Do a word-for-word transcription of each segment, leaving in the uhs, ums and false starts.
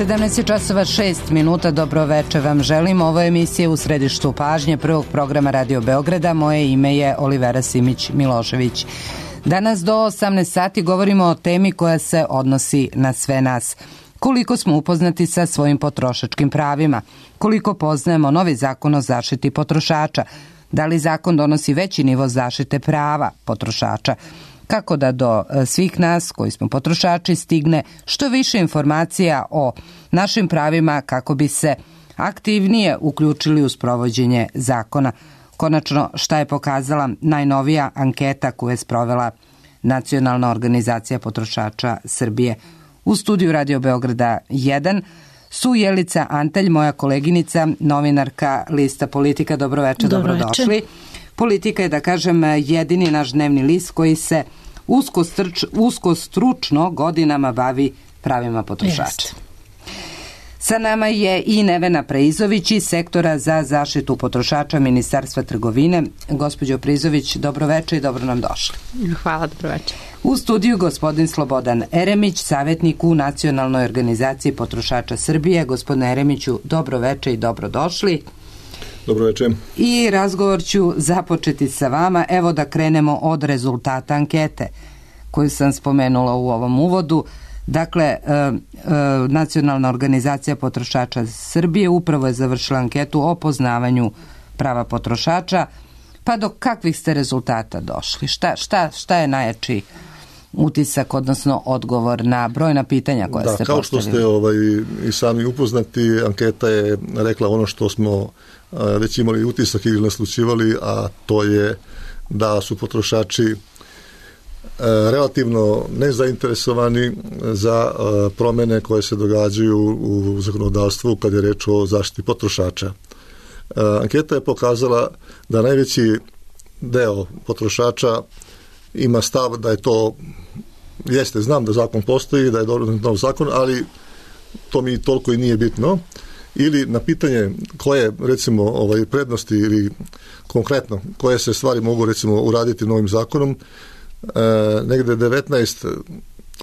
sedamnaest časova šest minuta, dobro veče vam želim. Ovo je emisija U središtu pažnje prvog programa Radio Beograda. Moje ime je Olivera Simić-Milošević. Danas do osamnaest sati govorimo o temi koja se odnosi na sve nas. Koliko smo upoznati sa svojim potrošačkim pravima? Koliko poznajemo novi zakon o zaštiti potrošača? Da li zakon donosi veći nivo zaštite prava potrošača? Kako da do svih nas koji smo potrošači stigne što više informacija o našim pravima kako bi se aktivnije uključili u sprovođenje zakona? Konačno, šta je pokazala najnovija anketa koju je sprovela Nacionalna organizacija potrošača Srbije? U studiju Radio Beograda jedan su Jelica Antalj, moja koleginica, novinarka lista Politika. Dobro večer, Dobro dobrodošli. Večer. Politika je, da kažem, jedini naš dnevni list koji se usko, strč, usko stručno godinama bavi pravima potrošača. Jest. Sa nama je i Nevena Preizović iz Sektora za zaštitu potrošača Ministarstva trgovine. Gospođo Preizović, dobro večer i dobro nam došli. Hvala, dobro večer. U studiju gospodin Slobodan Eremić, savjetnik u Nacionalnoj organizaciji potrošača Srbije. Gospodine Eremiću, dobro večer i dobro došli. Dobro večer. I razgovor ću započeti sa vama. Evo da krenemo od rezultata ankete koju sam spomenula u ovom uvodu. Dakle, e, e, Nacionalna organizacija potrošača Srbije upravo je završila anketu o poznavanju prava potrošača. Pa do kakvih ste rezultata došli? Šta, šta, šta je najjači utisak, odnosno odgovor na brojna pitanja koja da, ste kao postavili? što ste ovaj, i sami upoznati, anketa je rekla ono što smo a, već imali utisak ili naslućivali, a to je da su potrošači relativno nezainteresovani za promjene koje se događaju u zakonodavstvu kad je reč o zaštiti potrošača. Anketa je pokazala da najveći deo potrošača ima stav da je to, jeste, znam da zakon postoji, da je dobro nov zakon, ali to mi toliko i nije bitno. Ili na pitanje koje, recimo, ovaj, prednosti ili konkretno koje se stvari mogu, recimo, uraditi novim zakonom, E, negde devetnaest,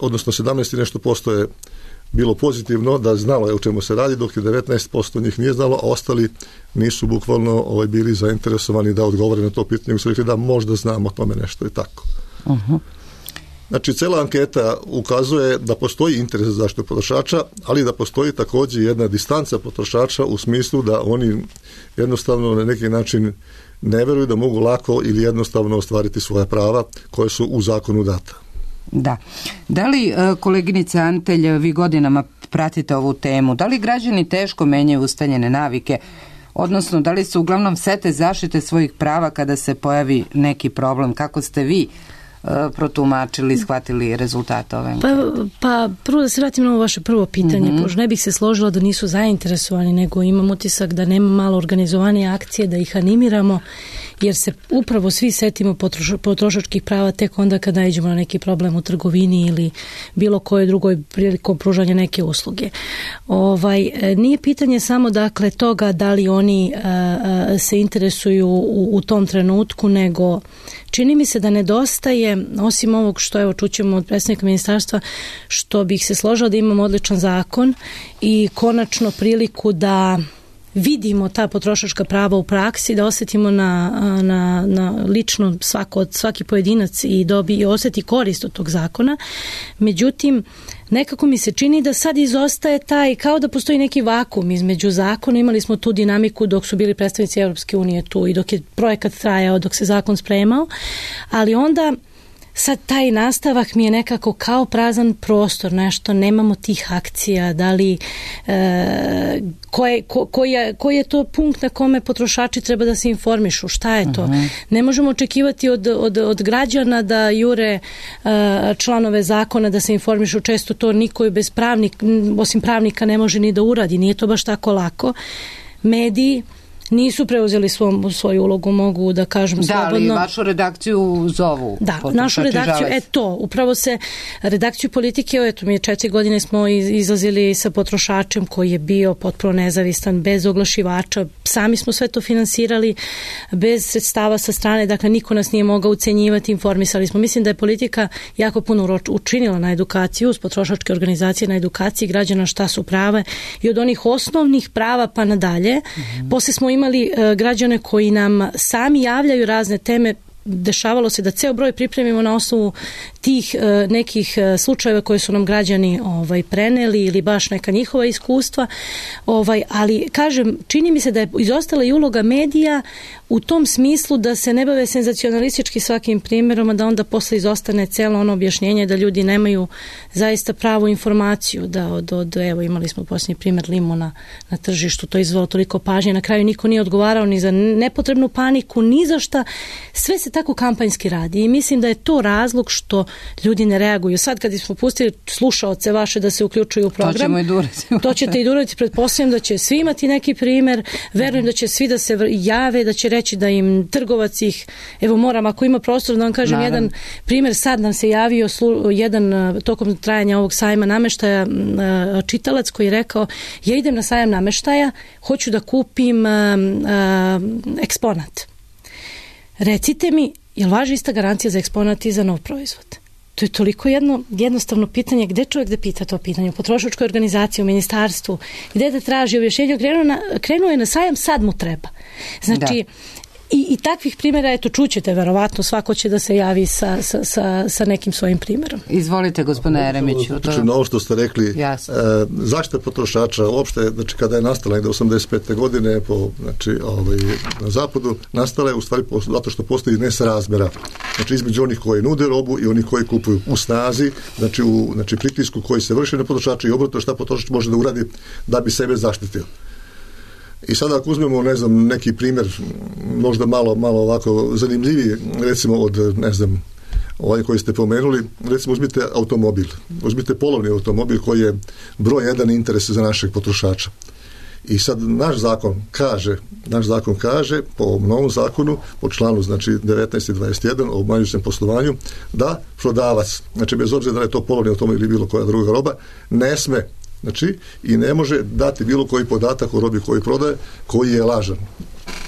odnosno sedamnaest i nešto posto je bilo pozitivno, da znalo je o čemu se radi, dok je devetnaest posto njih nije znalo, a ostali nisu bukvalno ovaj, bili zainteresovani da odgovore na to pitanje, su rekli da možda znamo o tome nešto i tako. Uh-huh. Znači, cela anketa ukazuje da postoji interes za zaštitu potrošača, ali da postoji također jedna distanca potrošača u smislu da oni jednostavno na neki način ne veruju da mogu lako ili jednostavno ostvariti svoja prava koje su u zakonu data. Da. Da li, koleginica Antelj, vi godinama pratite ovu temu, da li građani teško menjaju ustaljene navike, odnosno da li se uglavnom sete zaštite svojih prava kada se pojavi neki problem? Kako ste vi protumačili, shvatili rezultate ove ankete? Pa, pa prvo da se vratim na ovo vaše prvo pitanje, mm-hmm. pošto ne bih se složila da nisu zainteresovani, nego imam utisak da nema malo organizovanije akcije, da ih animiramo, jer se upravo svi setimo potroš, potrošačkih prava tek onda kada nađemo na neki problem u trgovini ili bilo koje drugoj prilikom pružanja neke usluge. Ovaj, nije pitanje samo dakle toga da li oni a, a, se interesuju u, u tom trenutku, nego čini mi se da nedostaje, osim ovog što evo čućemo od predstavnika ministarstva, što bih se složila da imamo odličan zakon i konačno priliku da vidimo ta potrošačka prava u praksi, da osjetimo na, na, na lično svako, svaki pojedinac i dobi i osjeti korist od tog zakona. Međutim, nekako mi se čini da sad izostaje taj, kao da postoji neki vakum između zakona. Imali smo tu dinamiku dok su bili predstavnici Europske unije tu i dok je projekat trajao, dok se zakon spremao, ali onda sad taj nastavak mi je nekako kao prazan prostor, nešto, nemamo tih akcija, da li, e, koje, ko, koji, je, koji je to punkt na kome potrošači treba da se informišu, šta je to? Uh-huh. Ne možemo očekivati od, od, od građana da jure e, članove zakona da se informišu, često to niko je bez pravnika, osim pravnika ne može ni da uradi, nije to baš tako lako. Mediji, nisu preuzeli svom, svoju ulogu, mogu da kažem da, slobodno. Da, ali vašu redakciju zovu. Da, našu redakciju, e to, upravo se redakciju politike, eto mi je četiri godine smo izlazili sa potrošačem koji je bio potpuno nezavistan, bez oglašivača, sami smo sve to finansirali, bez sredstava sa strane, dakle niko nas nije mogao ucenjivati, informisali smo. Mislim da je politika jako puno učinila na edukaciju, uz potrošačke organizacije na edukaciji građana šta su prava i od onih osnovnih prava pa nadalje. Mm-hmm. Posle smo imali uh, građane koji nam sami javljaju razne teme. Dešavalo se da ceo broj pripremimo na osnovu tih uh, nekih uh, slučajeva koje su nam građani ovaj, preneli ili baš neka njihova iskustva. Ovaj, ali, kažem, čini mi se da je izostala i uloga medija u tom smislu da se ne bave senzacionalistički svakim primjerom, a da onda posle izostane celo ono objašnjenje da ljudi nemaju zaista pravu informaciju. Da od, od evo, imali smo posljednji primjer limuna na tržištu, to je izvalo toliko pažnje, na kraju niko nije odgovarao ni za nepotrebnu paniku, ni za šta. Sve se tako kampanjski radi i mislim da je to razlog što ljudi ne reaguju. Sad kad smo pustili slušaoce vaše da se uključuju u program, to ćemo i durati. To ćete i durati, pretpostavljam da će svi imati neki primjer, verujem da će svi da se jave, da će reći da im trgovac ih, evo moram, ako ima prostor da vam kažem Naravno. jedan primjer, sad nam se javio slu, jedan tokom trajanja ovog sajma nameštaja čitalac koji je rekao, ja idem na sajam nameštaja, hoću da kupim a, a, eksponat. Recite mi, jel važi ista garancija za eksponat i za nov proizvod? To je toliko jedno jednostavno pitanje, gde čovjek da pita to pitanje? U potrošačkoj organizaciji, u ministarstvu, gde da traži objašnjenje, krenuo, na, krenuo je na sajam, sad mu treba. Znači, da. I, I takvih primjera, eto, čućete, verovatno, svako će da se javi sa, sa, sa, sa nekim svojim primjerom. Izvolite, gospodine Jeremiću. Znači, na ovo što ste rekli, e, zaštita potrošača, uopšte, znači, kada je nastala negde osamdeset pete godine po, znači, ovaj, na zapadu, nastala je u stvari zato što postoji nesrazmera. Znači, između onih koji nude robu i onih koji kupuju u snazi, znači, u znači, pritisku koji se vrši na potrošača i obratno šta potrošač može da uradi da bi sebe zaštitio. I sada ako uzmemo, ne znam, neki primjer, možda malo, malo ovako zanimljiviji, recimo od, ne znam, ovaj koji ste pomenuli, recimo uzmite automobil, uzmite polovni automobil koji je broj jedan interes za našeg potrošača. I sad naš zakon kaže, naš zakon kaže, po novom zakonu, po članu, znači, devetnaest i dvadeset jedan o obmanjujućem poslovanju, da prodavac, znači, bez obzira da je to polovni automobil ili bilo koja druga roba, ne sme, znači, i ne može dati bilo koji podatak o robi koji prodaje, koji je lažan.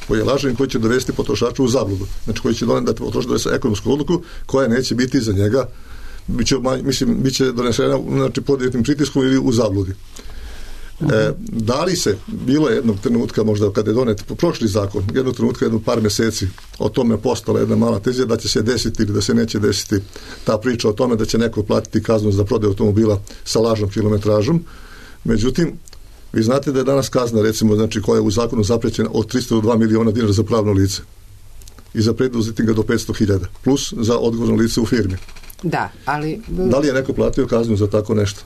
Koji je lažan i koji će dovesti potrošača u zabludu. Znači, koji će doneti da potrošač donese ekonomsku odluku koja neće biti za njega, biće, mislim, biće donesena, znači, pod jednim pritiskom ili u zabludi. E, da li se, bilo je jednog trenutka, možda kada je donet prošli zakon, jednog trenutka, jedno par mjeseci, o tome postala jedna mala tezija da će se desiti ili da se neće desiti ta priča o tome da će neko platiti kaznu za prodaju automobila sa lažnom kilometražom. Međutim, vi znate da je danas kazna, recimo, znači, koja je u zakonu zaprećena od tristo do dva miliona dinara za pravno lice i za preduzetnika do petsto hiljada, plus za odgovorno lice u firmi. Da, ali... Da li je neko platio kaznu za tako nešto?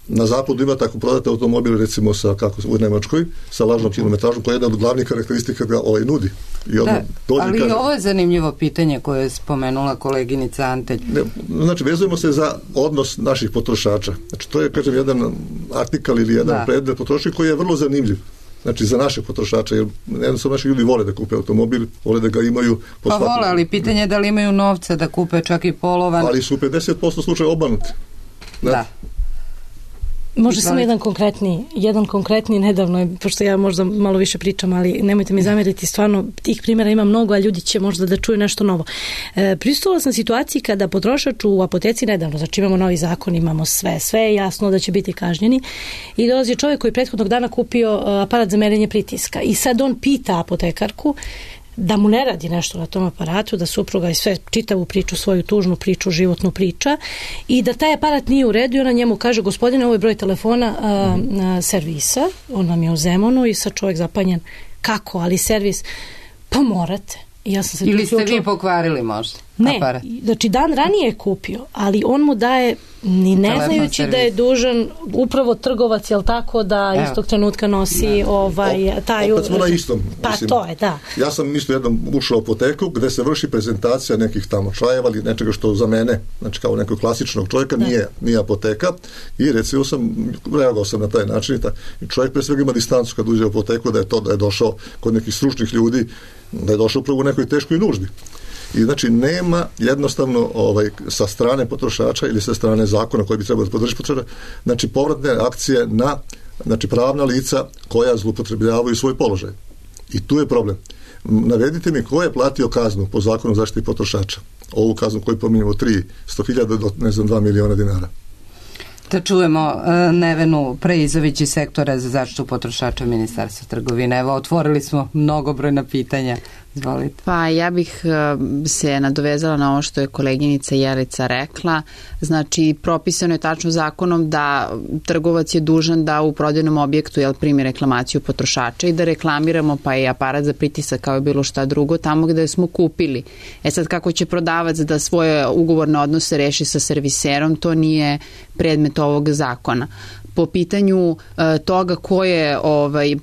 Na zapadu ima tako prodate automobil, recimo sa, kako, u Nemačkoj, sa lažnom kilometražom, koja je jedna od glavnih karakteristika ga ovaj nudi. I da, ali kaže, ovo je zanimljivo pitanje koje je spomenula koleginica Antelj. Ne, znači, vezujemo se za odnos naših potrošača. Znači, to je, kažem, jedan artikal ili jedan da. predmet potrošača koji je vrlo zanimljiv. Znači, za naše potrošače, jer jednostavno naši ljudi vole da kupe automobil, vole da ga imaju... Pa svakom... vole, ali pitanje je da li imaju novca da kupe čak i polovan... Ali su pedeset posto slučaja obmanuti. Da. da. Može samo jedan konkretni, jedan konkretni nedavno, pošto ja možda malo više pričam, ali nemojte mi zamjeriti, stvarno tih primjera ima mnogo, a ljudi će možda da čuju nešto novo. E, pristupila sam situaciji kada potrošač u apoteci nedavno, znači imamo novi zakon, imamo sve, sve je jasno da će biti kažnjeni i dolazi čovjek koji prethodnog dana kupio aparat za merenje pritiska i sad on pita apotekarku da mu ne radi nešto na tom aparatu, da supruga i sve čitavu priču, svoju tužnu priču, životnu priča i da taj aparat nije u redu i ona njemu kaže, gospodine, ovo je broj telefona a, a, servisa, on nam je u Zemunu i sad čovjek zapanjen, kako, ali servis, pa morate. I ja sam se ili ste vi pokvarili možda? Ne, aparat? znači dan ranije je kupio, ali on mu daje, ni ne Telefon znajući servis. da je dužan upravo trgovac, jel tako, da Evo. istog trenutka nosi Da. ovaj, taj... Opet smo na istom. Pa mislim. to je, da. Ja sam isto jednom ušao u apoteku gde se vrši prezentacija nekih tamo čajeva ili nečega što za mene, znači kao nekog klasičnog čovjeka, nije, nije apoteka, i recimo sam, reagovao sam na taj način i, ta, i čovjek pre svega ima distancu kad uđe u apoteku, da je to da je došao kod nekih stručnih ljudi, da je došao upravo u nekoj teškoj nuždi. I znači nema jednostavno ovaj, sa strane potrošača ili sa strane zakona koji bi trebao da podrži potrošača, znači povratne akcije na znači pravna lica koja zloupotrebljavaju svoj položaj. I tu je problem. Navedite mi ko je platio kaznu po zakonu o zaštiti potrošača. Ovu kaznu koju pominjamo tristo hiljada do ne znam dva miliona dinara. Da čujemo uh, Nevenu Preizović iz sektora za zaštitu potrošača Ministarstva trgovine. Evo, otvorili smo mnogobrojna pitanja. Izvolite. Pa ja bih uh, se nadovezala na ovo što je koleginica Jelica rekla. Znači, propisano je tačno zakonom da trgovac je dužan da u prodajnom objektu jel, primi reklamaciju potrošača i da reklamiramo pa i aparat za pritisak kao je bilo šta drugo tamo gde smo kupili. E sad, kako će prodavac da svoje ugovorne odnose reši sa serviserom, to nije predmet ovog zakona. Po pitanju uh, toga ko je, ovaj,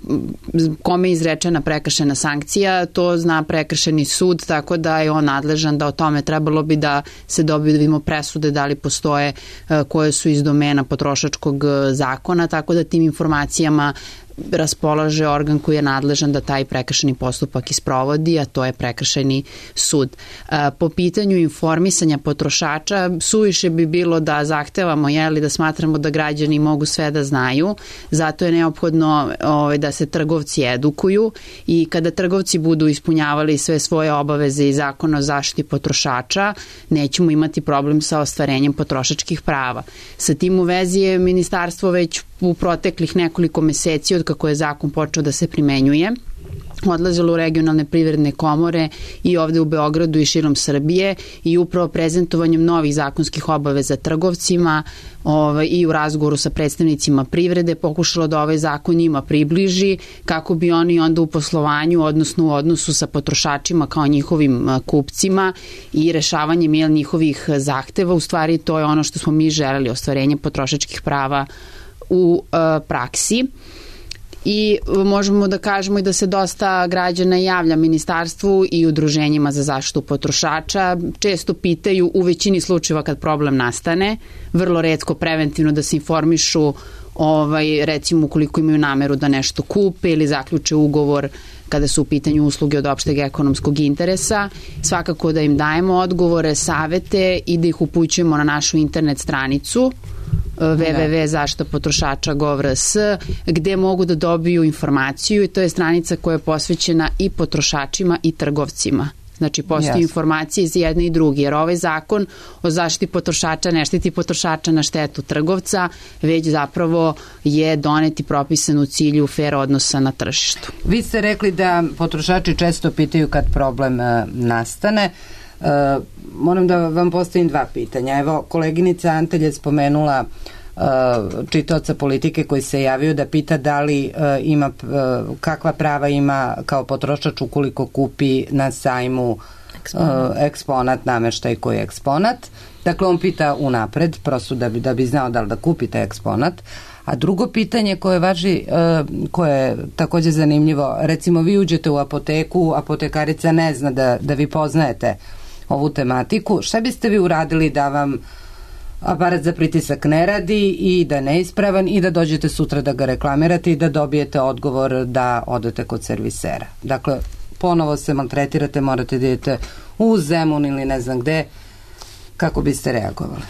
kome je izrečena prekršena sankcija, to zna prekršeni sud, tako da je on nadležan da o tome trebalo bi da se dobiju, da vidimo presude da li postoje uh, koje su iz domena potrošačkog zakona, tako da tim informacijama raspolaže organ koji je nadležan da taj prekršeni postupak isprovodi, a to je prekršajni sud. Po pitanju informisanja potrošača, suviše bi bilo da zahtevamo, jeli, da smatramo da građani mogu sve da znaju, zato je neophodno ovaj, da se trgovci edukuju i kada trgovci budu ispunjavali sve svoje obaveze i zakona o zaštiti potrošača, nećemo imati problem sa ostvarenjem potrošačkih prava. Sa tim u vezi je ministarstvo već u proteklih nekoliko meseci od kako je zakon počeo da se primenjuje, odlazilo u regionalne privredne komore i ovde u Beogradu i širom Srbije i upravo prezentovanjem novih zakonskih obaveza trgovcima ovaj, i u razgovoru sa predstavnicima privrede pokušalo da ovaj zakon njima približi kako bi oni onda u poslovanju, odnosno u odnosu sa potrošačima kao njihovim kupcima i rešavanjem jel, njihovih zahteva, u stvari to je ono što smo mi želeli, ostvarenje potrošačkih prava u uh, praksi. I možemo da kažemo i da se dosta građana javlja ministarstvu i udruženjima za zaštitu potrošača. Često pitaju u većini slučajeva kad problem nastane, vrlo retko preventivno da se informišu, ovaj, recimo ukoliko imaju nameru da nešto kupe ili zaključe ugovor kada su u pitanju usluge od opšteg ekonomskog interesa. Svakako da im dajemo odgovore, savete i da ih upućujemo na našu internet stranicu w w w tačka zaštita potrošača gov tačka r s gde mogu da dobiju informaciju i to je stranica koja je posvećena i potrošačima i trgovcima. Znači, postoji yes. informacije iz jedne i druge, jer ovaj zakon o zaštiti potrošača ne štiti potrošača na štetu trgovca, već zapravo je donet i propisan u cilju fer odnosa na tržištu. Vi ste rekli da potrošači često pitaju kad problem e, nastane. E, moram da vam postavim dva pitanja. Evo, koleginica Antelj je spomenula e, čitaoca Politike koji se javio da pita da li e, ima, e, kakva prava ima kao potrošač ukoliko kupi na sajmu eksponat, e, eksponat nameštaj koji je eksponat. Dakle, on pita unapred, prosto da bi, da bi znao da li da kupite eksponat. A drugo pitanje koje važi, koje je također zanimljivo, recimo vi uđete u apoteku, apotekarica ne zna da, da vi poznajete ovu tematiku, šta biste vi uradili da vam aparat za pritisak ne radi i da je neispravan i da dođete sutra da ga reklamirate i da dobijete odgovor da odete kod servisera? Dakle, ponovo se maltretirate, morate da idete u Zemun ili ne znam gde, kako biste reagovali?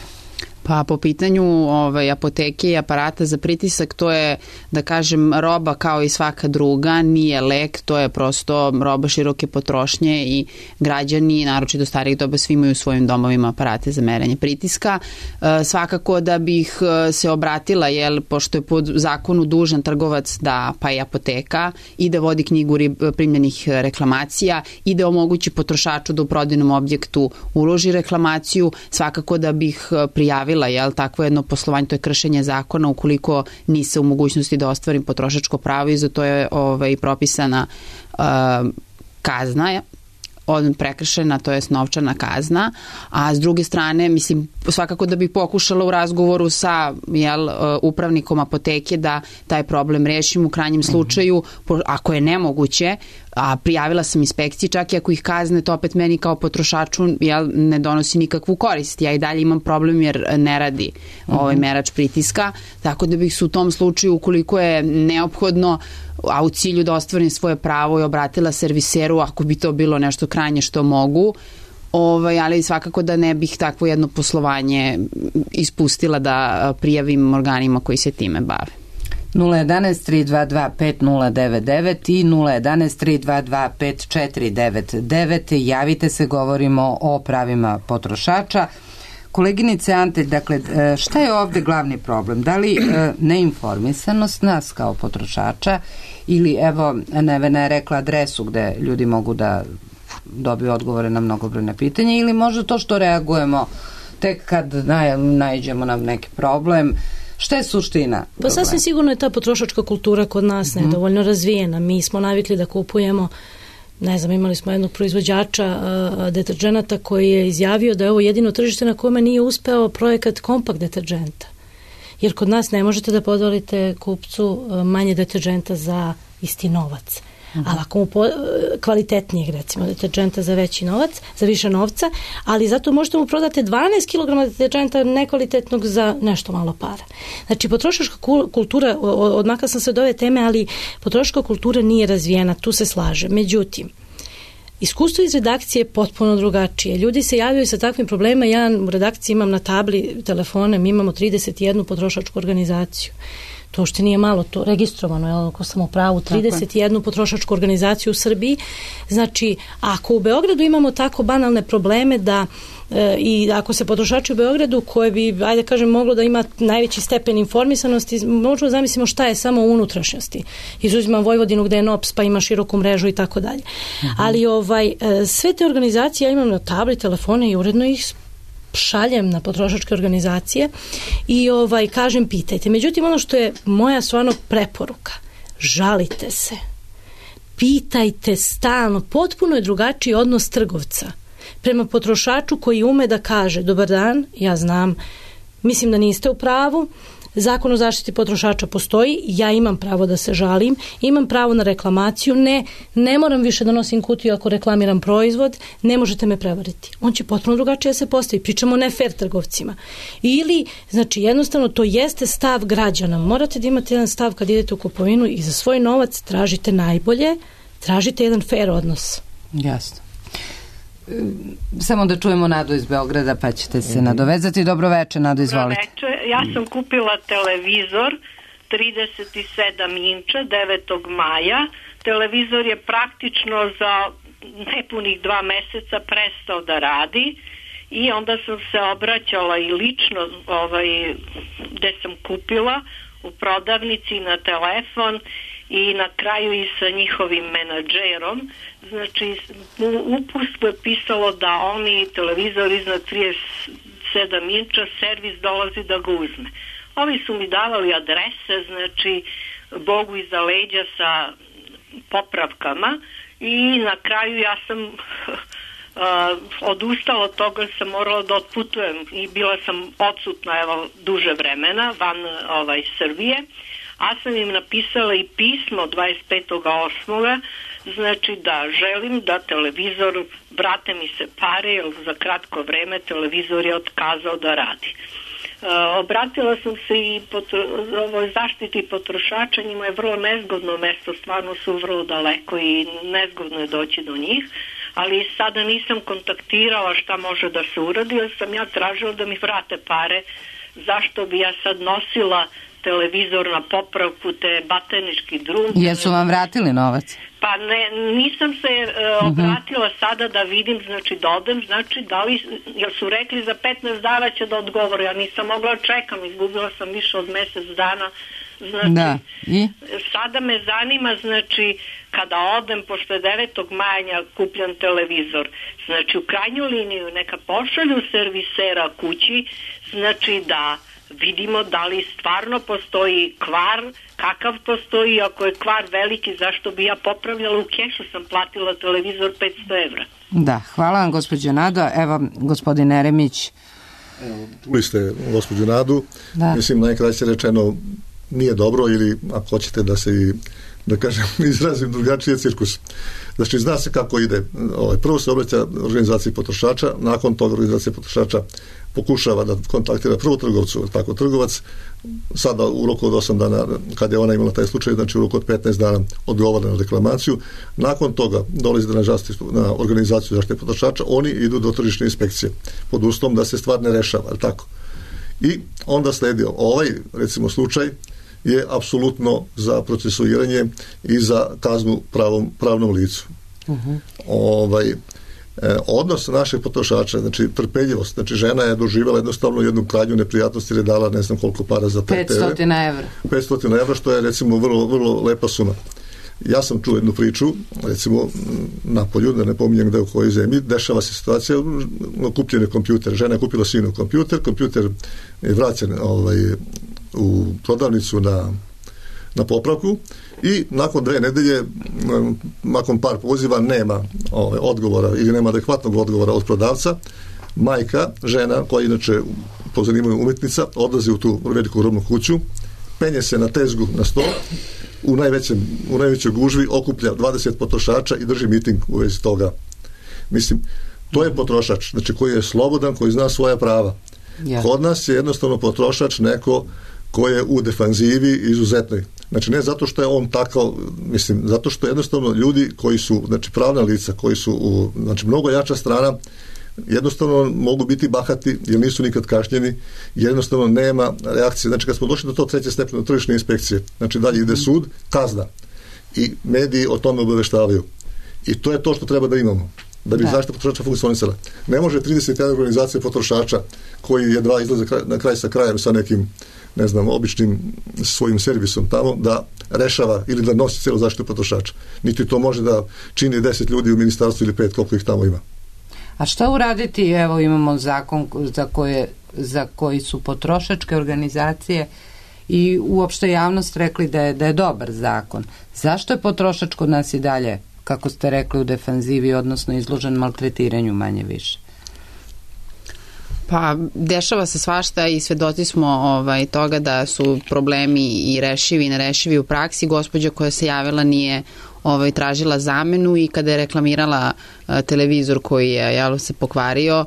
Pa po pitanju ovaj, apoteke i aparata za pritisak, to je, da kažem, roba kao i svaka druga, nije lek, to je prosto roba široke potrošnje i građani, naročito starijih doba, svi imaju u svojim domovima aparate za merenje pritiska. E, svakako da bih se obratila, jel, pošto je pod zakonu dužan trgovac da, pa i apoteka, i da vodi knjigu primljenih reklamacija i da omogući potrošaču da u prodajnom objektu uloži reklamaciju, svakako da bih prijavila jel, takvo jedno poslovanje, to je kršenje zakona ukoliko nise u mogućnosti da ostvarim potrošačko pravo i za to je ovaj, propisana uh, kazna. od prekršena, to jest novčana kazna, a s druge strane, mislim, svakako da bi pokušala u razgovoru sa jel, upravnikom apoteke da taj problem rešim u krajnjem slučaju, ako je nemoguće, a prijavila sam inspekciji, čak i ako ih kazne, to opet meni kao potrošaču jel, ne donosi nikakvu korist. Ja i dalje imam problem jer ne radi ovaj merač pritiska, tako da bih se u tom slučaju, ukoliko je neophodno, a u cilju da ostvarim svoje pravo i obratila serviseru ako bi to bilo nešto krajnje što mogu, ovaj, ali svakako da ne bih takvo jedno poslovanje ispustila da prijavim organima koji se time bave. nula jedan tri dva dva pet nula devet devet i nula jedan tri dva dva pet četiri devet devet. Javite se, govorimo o pravima potrošača. Koleginice Ante, dakle, šta je ovde glavni problem? Da li neinformisanost nas kao potrošača ili, evo, Nevena je rekla adresu gde ljudi mogu da dobiju odgovore na mnogobrojne pitanja, ili možda to što reagujemo tek kad naj, naiđemo na neki problem? Šta je suština? Pa sasvim sigurno je ta potrošačka kultura kod nas nedovoljno mm. razvijena. Mi smo navikli da kupujemo, ne znam, imali smo jednog proizvođača uh, deterđenata koji je izjavio da je ovo jedino tržište na kome nije uspeo projekat kompakt deterđenta. Jer kod nas ne možete da podvalite kupcu uh, manje deterđenta za isti novac. Uh-huh. Ali ako mu po, kvalitetnijeg, recimo, deterđenta za veći novac, za više novca, ali zato možete mu prodati dvanaest kilograma deterđenta nekvalitetnog za nešto malo para. Znači, potrošačka kultura, odmakla sam se od ove teme, ali potrošačka kultura nije razvijena, tu se slaže. Međutim, iskustvo iz redakcije je potpuno drugačije. Ljudi se javljaju sa takvim problemima. Ja u redakciji imam na tabli telefone, mi imamo trideset jednu potrošačku organizaciju. To što nije malo, to registrovano je, ako sam u pravu, trideset jednu potrošačku organizaciju u Srbiji. Znači, ako u Beogradu imamo tako banalne probleme da e, i ako se potrošači u Beogradu, koje bi, ajde kažem, moglo da ima najveći stepen informisanosti, možemo zamislimo šta je samo u unutrašnjosti. Izuzimam Vojvodinu gde je N O P S pa ima široku mrežu i tako dalje. Ali ovaj, sve te organizacije ja imam na tabli, telefone i uredno ih šaljem na potrošačke organizacije i ovaj kažem pitajte. Međutim, ono što je moja stvarno preporuka, žalite se, pitajte stalno, potpuno je drugačiji odnos trgovca prema potrošaču koji ume da kaže dobar dan, ja znam, mislim da niste u pravu, Zakon o zaštiti potrošača postoji, ja imam pravo da se žalim, imam pravo na reklamaciju, ne, ne moram više da nosim kutiju ako reklamiram proizvod, ne možete me prevariti. On će potpuno drugačije se postavi. Pričamo o ne fair trgovcima. Ili, znači, jednostavno to jeste stav građana. Morate da imate jedan stav kad idete u kupovinu i za svoj novac tražite najbolje, tražite jedan fair odnos. Jasno. Samo da čujemo Nadu iz Beograda, pa ćete se nadovezati. Dobro veče, Nado, izvolite. Dobro veče. Ja sam kupila televizor trideset sedam inča devetog maja. Televizor je praktično za nepunih dva meseca prestao da radi i onda sam se obraćala i lično ovaj, gde sam kupila u prodavnici na telefon i na kraju i sa njihovim menadžerom. Znači, u upustku je pisalo da oni televizor iznad trideset sedam inča servis dolazi da ga uzme. Ovi su mi davali adrese, znači, Bogu iza leđa sa popravkama i na kraju ja sam uh, odustala od toga, sam morala da otputujem i bila sam odsutna evo duže vremena van ovaj Srbije. A sam im napisala i pismo dvadeset petog osmog znači da želim da televizor, vrate mi se pare, jer za kratko vreme televizor je otkazao da radi. E, obratila sam se i potro, ovoj zaštiti potrošača, njima je vrlo nezgodno mesto, stvarno su vrlo daleko i nezgodno je doći do njih, ali sada nisam kontaktirala šta može da se uradi, jer sam ja tražila da mi vrate pare, zašto bi ja sad nosila televizor na popravku, te baternički drum. Jesu vam vratili novac? Pa ne, nisam se uh, obratila uh-huh. sada da vidim, znači da odem, znači da li, jer su rekli za petnaest dana će da odgovore, ja nisam mogla čekam, izgubila sam više od mesec dana, znači da. I? Sada me zanima, znači kada odem, pošto je devetog maja kupljan televizor, znači u krajnju liniju neka pošalju servisera kući, znači da vidimo da li stvarno postoji kvar, kakav postoji, ako je kvar veliki, zašto bi ja popravljala, u kešu sam platila televizor petsto evra. Da, hvala vam gospođo Nado. Evo, gospodin Eremić. Čuli ste gospođu Nadu. Da. Mislim, najkraće rečeno nije dobro ili ako hoćete da se i da kažem, izrazim drugačije cirkus. Znači, zna se kako ide. Ovaj, prvo se obraća organizaciji potrošača, nakon toga organizacija potrošača pokušava da kontaktira prvo trgovcu, tako trgovac sada u roku od osam dana, kad je ona imala taj slučaj, znači u roku od petnaest dana odgovara na reklamaciju. Nakon toga dolazi na, na organizaciju zaštite potrošača, oni idu do tržišne inspekcije pod uslovom da se stvar ne rešava, ali tako. I onda sledi ovaj, recimo, slučaj je apsolutno za procesuiranje i za kaznu pravom, pravnom licu. Uh-huh. Ovaj, e, odnos naših potrošača, znači trpeljivost, znači žena je doživjela jednostavno jednu krajnju neprijatnost jer je dala ne znam koliko para za te petsto evra. petsto evra, što je recimo vrlo, vrlo lepa suma. Ja sam čuo jednu priču, recimo na polju, da ne pominjem gde u kojoj zemlji, dešava se situacija na kupljenju kompjuter. Žena je kupila sinu kompjuter, kompjuter je vraćen ovaj, u prodavnicu na, na popravku i nakon dve nedelje, nakon par poziva, nema ovaj, odgovora ili nema adekvatnog odgovora od prodavca. Majka, žena, koja inače po zanimanju umetnica, odlazi u tu veliku robnu kuću, penje se na tezgu na sto, u najvećem, u najvećoj gužvi okuplja dvadeset potrošača i drži miting u vezi toga. Mislim, to je potrošač, znači koji je slobodan, koji zna svoja prava. Ja. Kod nas je jednostavno potrošač neko koji je u defanzivi izuzetnoj. Znači ne zato što je on takav, mislim, zato što jednostavno ljudi koji su, znači pravna lica, koji su u, znači mnogo jača strana, jednostavno mogu biti bahati jer nisu nikad kažnjeni, jednostavno nema reakcije. Znači kad smo došli do tog treće stepena tržišne inspekcije, znači dalje ide sud, kazna i mediji o tome obaveštavaju. I to je to što treba da imamo da bi da. Zaštita potrošača funkcionisala. Ne može trideset jedna organizacija potrošača koji je dva izlaze na kraj sa krajem sa nekim, ne znam, običnim svojim servisom tamo da rešava ili da nosi celu zaštitu potrošača. Niti to može da čini deset ljudi u ministarstvu ili pet, koliko ih tamo ima. A šta uraditi? Evo imamo zakon za koje, za koji su potrošačke organizacije i uopšte javnost rekli da je, da je dobar zakon. Zašto je potrošač kod nas i dalje, kako ste rekli, u defanzivi, odnosno izložen maltretiranju manje više? Pa dešava se svašta i svedoci smo ovaj, toga da su problemi i rešivi i nerešivi u praksi. Gospođa koja se javila nije ovaj, tražila zamenu i kada je reklamirala uh, televizor koji je jel, se pokvario,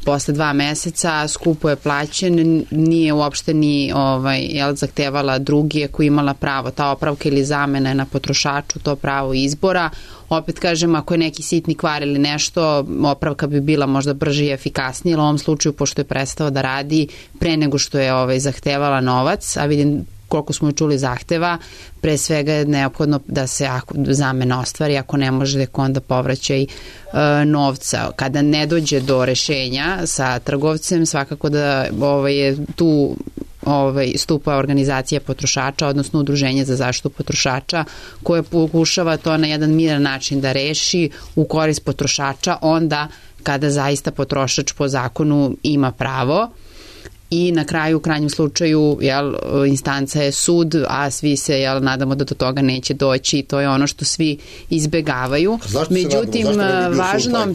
posle dva meseca skupo je plaćen, nije uopšte ni ovaj, jel, zahtevala drugi ako imala pravo. Ta opravka ili zamena je na potrošaču, to pravo izbora. Opet kažem, ako je neki sitni kvar ili nešto, opravka bi bila možda brže i efikasnije, ali u ovom slučaju, pošto je prestao da radi pre nego što je ovaj, zahtevala novac, a vidim koliko smo čuli zahteva, pre svega je neophodno da se ako zamena ostvari, ako ne može da onda povraćaj e, novca. Kada ne dođe do rešenja sa trgovcem, svakako da ovaj, je tu ovaj, stupa organizacija potrošača, odnosno udruženje za zaštitu potrošača, koje pokušava to na jedan miran način da reši u korist potrošača onda kada zaista potrošač po zakonu ima pravo. I na kraju, u krajnjem slučaju, jel, instanca je sud, a svi se jel, nadamo da do toga neće doći i to je ono što svi izbegavaju. Međutim, važno,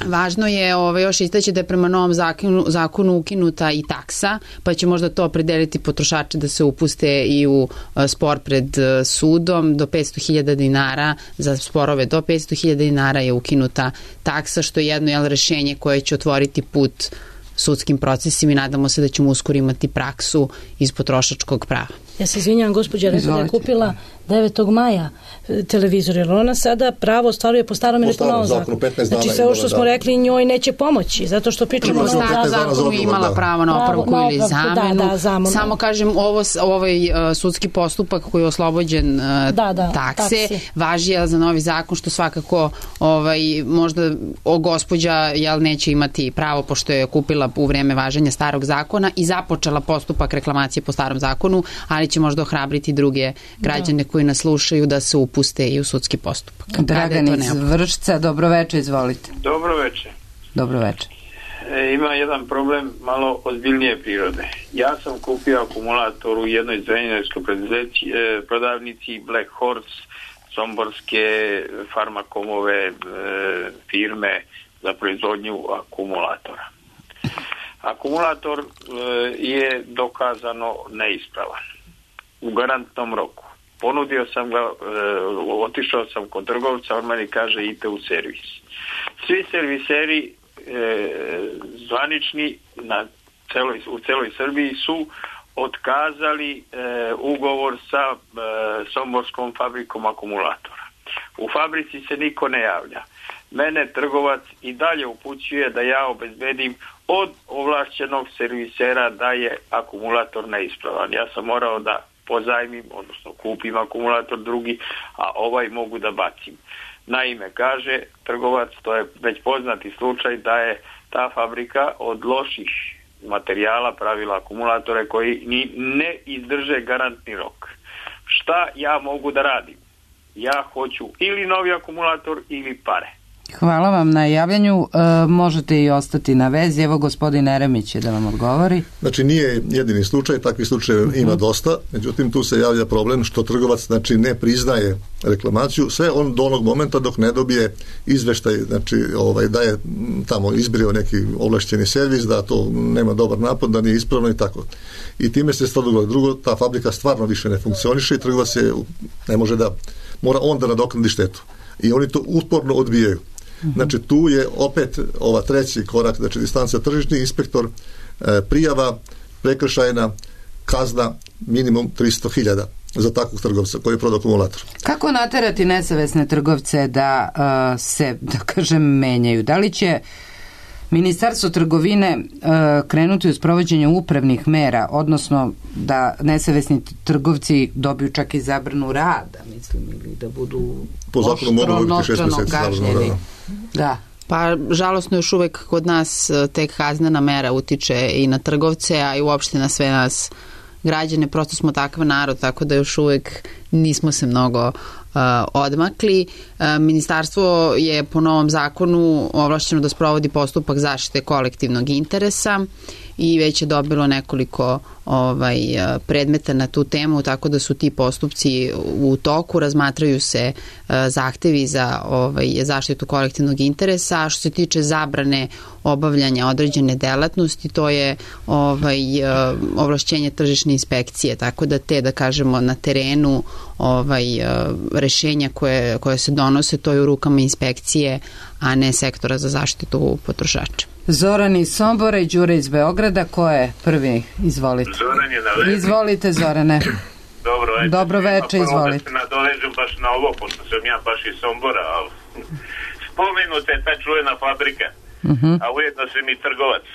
da važno je ovaj, još istaći da je prema novom zakonu, zakonu ukinuta i taksa, pa će možda to opredeliti potrošače da se upuste i u spor pred sudom do petsto hiljada dinara, za sporove do petsto hiljada dinara je ukinuta taksa, što je jedno jel, rešenje koje će otvoriti put sudskim procesima i nadamo se da ćemo uskoro imati praksu iz potrošačkog prava. Ja se izvinjam, gospođa, rekla da je kupila devetog maja televizor, jer ona sada pravo ostvaruje po starom ili po novom zakonu. Znači sve ovo što smo rekli njoj neće pomoći, zato što pričamo po starom zakonu imala pravo na opravku ili zamenu. Da, da, zamenu. Samo kažem, ovo, ovaj uh, sudski postupak koji je oslobođen uh, da, da, takse, taksi. Važi jel, za novi zakon, što svakako ovaj, možda o gospođa jel, neće imati pravo, pošto je kupila u vreme važenja starog zakona i započela postupak reklamacije po starom zakonu, ali će možda ohrabriti druge građane da. koji nas slušaju da se upuste i u sudski postupak. Dragan iz Vršca, dobroveče, izvolite. Dobroveče. Dobroveče. E, ima jedan problem malo ozbiljnije prirode. Ja sam kupio akumulator u jednoj zrenjaninskoj prodavnici Black Horse somborske farmakomove e, firme za proizvodnju akumulatora. Akumulator e, je dokazano neispravan u garantnom roku. Ponudio sam ga, e, otišao sam kod trgovca, on meni kaže idite u servis. Svi serviseri e, zvanični na celoj, u celoj Srbiji su otkazali e, ugovor sa e, somborskom fabrikom akumulatora. U fabrici se niko ne javlja. Mene trgovac i dalje upućuje da ja obezbedim od ovlašćenog servisera da je akumulator neispravan. Ja sam morao da pozajmim, odnosno kupim akumulator drugi, a ovaj mogu da bacim. Naime, kaže trgovac, to je već poznati slučaj, da je ta fabrika od loših materijala pravila akumulatore koji ni ne izdrže garantni rok. Šta ja mogu da radim? Ja hoću ili novi akumulator ili pare. Hvala vam na javljanju. E, možete i ostati na vezi. Evo gospodin Eremić je da vam odgovori. Znači nije jedini slučaj, takvih slučajeva uh-huh. ima dosta, međutim tu se javlja problem što trgovac znači ne priznaje reklamaciju, sve on do onog momenta dok ne dobije izveštaj, znači ovaj, da je tamo izbrio neki ovlašćeni servis, da to nema dobar napad, da nije ispravno i tako. I time se stvar dogodilo. Drugo, ta fabrika stvarno više ne funkcioniše i trgovac je, ne može da, mora on da nadoknadi štetu. I oni to uporno odbijaju. Znači tu je opet ova treći korak, znači distanca tržišni inspektor, e, prijava, prekršajna, kazna minimum tristo hiljada za takvog trgovca koji je prodao akumulator. Kako naterati nesavesne trgovce da uh, se, da kažem, menjaju? Da li će Ministarstvo trgovine uh, krenuti u sprovođenje upravnih mera, odnosno da nesavesni trgovci dobiju čak i zabranu rada, mislim, ili da budu po zakonu mogu dobiti šest meseci kažnjeni? Da. Pa žalosno još uvek kod nas tek kaznena mera utiče i na trgovce, a i uopšte na sve nas građane, prosto smo takav narod, tako da još uvek nismo se mnogo uh, odmakli. Uh, ministarstvo je po novom zakonu ovlašćeno da sprovodi postupak zaštite kolektivnog interesa i već je dobilo nekoliko ovaj, predmeta na tu temu, tako da su ti postupci u toku, razmatraju se uh, zahtevi za ovaj, zaštitu kolektivnog interesa, a što se tiče zabrane obavljanja određene delatnosti, to je ovaj, uh, ovlašćenje tržišne inspekcije, tako da te, da kažemo, na terenu ovaj, uh, rešenja koje, koje se donose, to je u rukama inspekcije, a ne sektora za zaštitu potrošača. Zoran iz Sombora i Đure iz Beograda, ko je prvi? Izvolite. Zoran je na vezi. Izvolite, Zorane. Dobro večer. Dobro večer, izvolite. Da se nadovežem baš na ovo, pošto sam ja baš iz Sombora, ali spomenuta je ta čuvena fabrika, uh-huh. a ujedno sam i trgovac,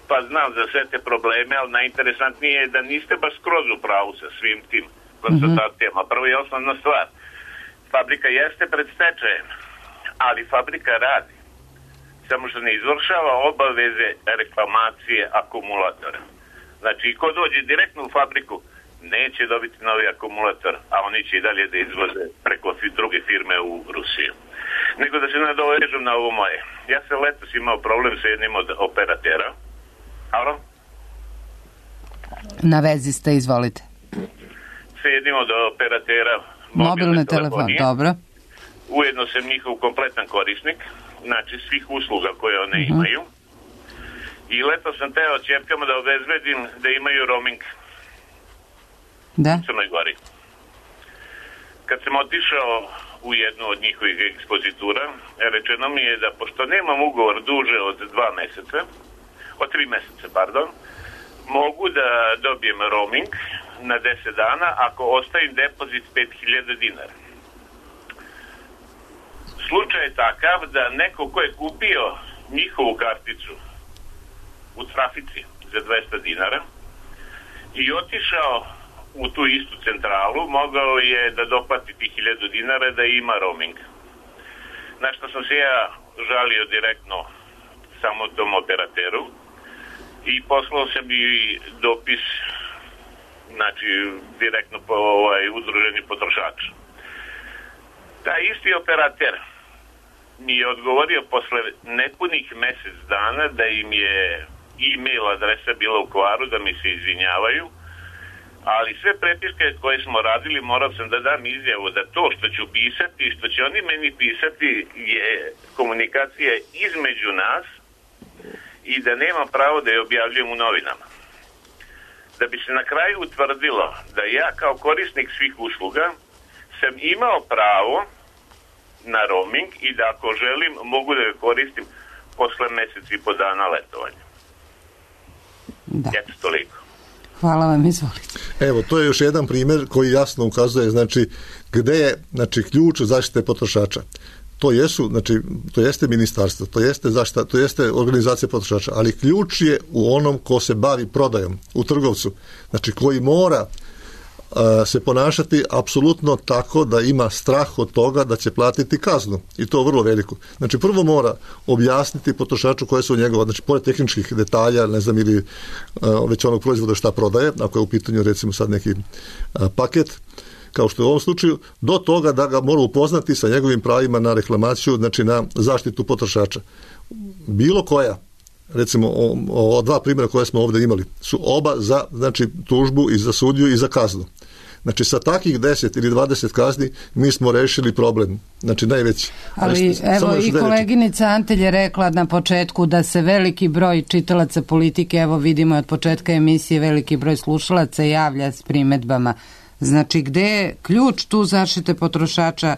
pa znam za sve te probleme, ali najinteresantnije je da niste baš skroz u pravu sa svim tim konstatacijama. Uh-huh. Prvo je osnovna stvar. Fabrika jeste pred stečajem, ali fabrika radi. Samo što ne izvršava obaveze reklamacije akumulatora. Znači, ko dođe direktno u fabriku, neće dobiti novi akumulator, a oni će i dalje da izvoze preko druge firme u Rusiju. Nego da se nadovežem na ovo moje. Ja sam letos imao problem sa jednim od operatera. Alo? Na vezi ste, izvolite. Sa jednim od operatera mobilne, mobilne telefonije. Dobro. Ujedno sam njihov kompletan korisnik, znači svih usluga koje one uh-huh. imaju. I leto sam teo ćerkama da obezbedim da imaju roaming da. u Crnoj Gori. Kad sam otišao u jednu od njihovih ekspozitura, rečeno mi je da pošto nemam ugovor duže od dva meseca, od tri meseca, pardon, mogu da dobijem roaming na deset dana ako ostavim depozit pet hiljada dinara. Slučaj je takav da neko ko je kupio njihovu karticu u trafici za dvesta dinara i otišao u tu istu centralu, mogao je da doplati tih hiljadu dinara da ima roaming. Na što sam se ja žalio direktno samo tom operateru i poslao sam i dopis, znači direktno po ovaj, udruženi potrošača. Taj isti operater mi je odgovorio posle nepunih mesec dana da im je e-mail adresa bila u kvaru, da mi se izvinjavaju, ali sve prepiske koje smo radili morao sam da dam izjavu da to što ću pisati i što će oni meni pisati je komunikacija između nas i da nema pravo da je objavljujem u novinama. Da bi se na kraju utvrdilo da ja kao korisnik svih usluga sam imao pravo na roaming i da ako želim mogu da ga koristim posle mjesec i po dana letovanja. Da. Eto toliko. Hvala vam, izvolite. Evo, to je još jedan primjer koji jasno ukazuje, znači, gde je, znači, ključ zaštite potrošača. To jesu, znači, to jeste ministarstvo, to jeste zaštita, to jeste organizacija potrošača, ali ključ je u onom ko se bavi prodajom, u trgovcu, znači, koji mora se ponašati apsolutno tako da ima strah od toga da će platiti kaznu i to vrlo veliku. Znači prvo mora objasniti potrošaču koje su njegove, znači pored tehničkih detalja, ne znam, ili uh, već onog proizvoda šta prodaje, ako je u pitanju recimo sad neki uh, paket, kao što je u ovom slučaju, do toga da ga mora upoznati sa njegovim pravima na reklamaciju, znači na zaštitu potrošača. Bilo koja, recimo o, o dva primjera koje smo ovdje imali, su oba za, znači, tužbu i za sudiju i za kaznu. Znači sa takih deset ili dvadeset kazni mi smo rešili problem, znači najveći. Ali Samo evo i koleginica Antelj je rekla na početku da se veliki broj čitalaca Politike, evo vidimo od početka emisije, veliki broj slušalaca javlja s primedbama. Znači gde je ključ tu zaštite potrošača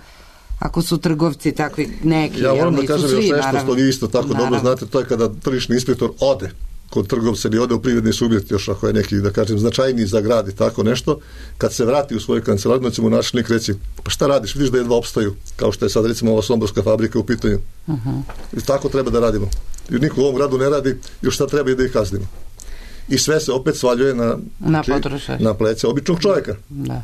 ako su trgovci takvi neki? Ja moram da nisu kažem svi, još nešto naravno. što vi isto tako naravno. Dobro znate, to je kada tržišni inspektor ode kod trgovca ili ode u privredni subjekt, još ako je neki, da kažem, značajniji za grad i tako nešto, kad se vrati u svoju kancelariju, da će mu načelnik reći, pa šta radiš, vidiš da jedva opstaju, kao što je sad recimo ova somborska fabrika u pitanju. Uh-huh. I tako treba da radimo. Jer niko u ovom gradu ne radi, još šta treba i da ih kaznimo. I sve se opet svaljuje na, na, znači, na plece običnog čovjeka, da.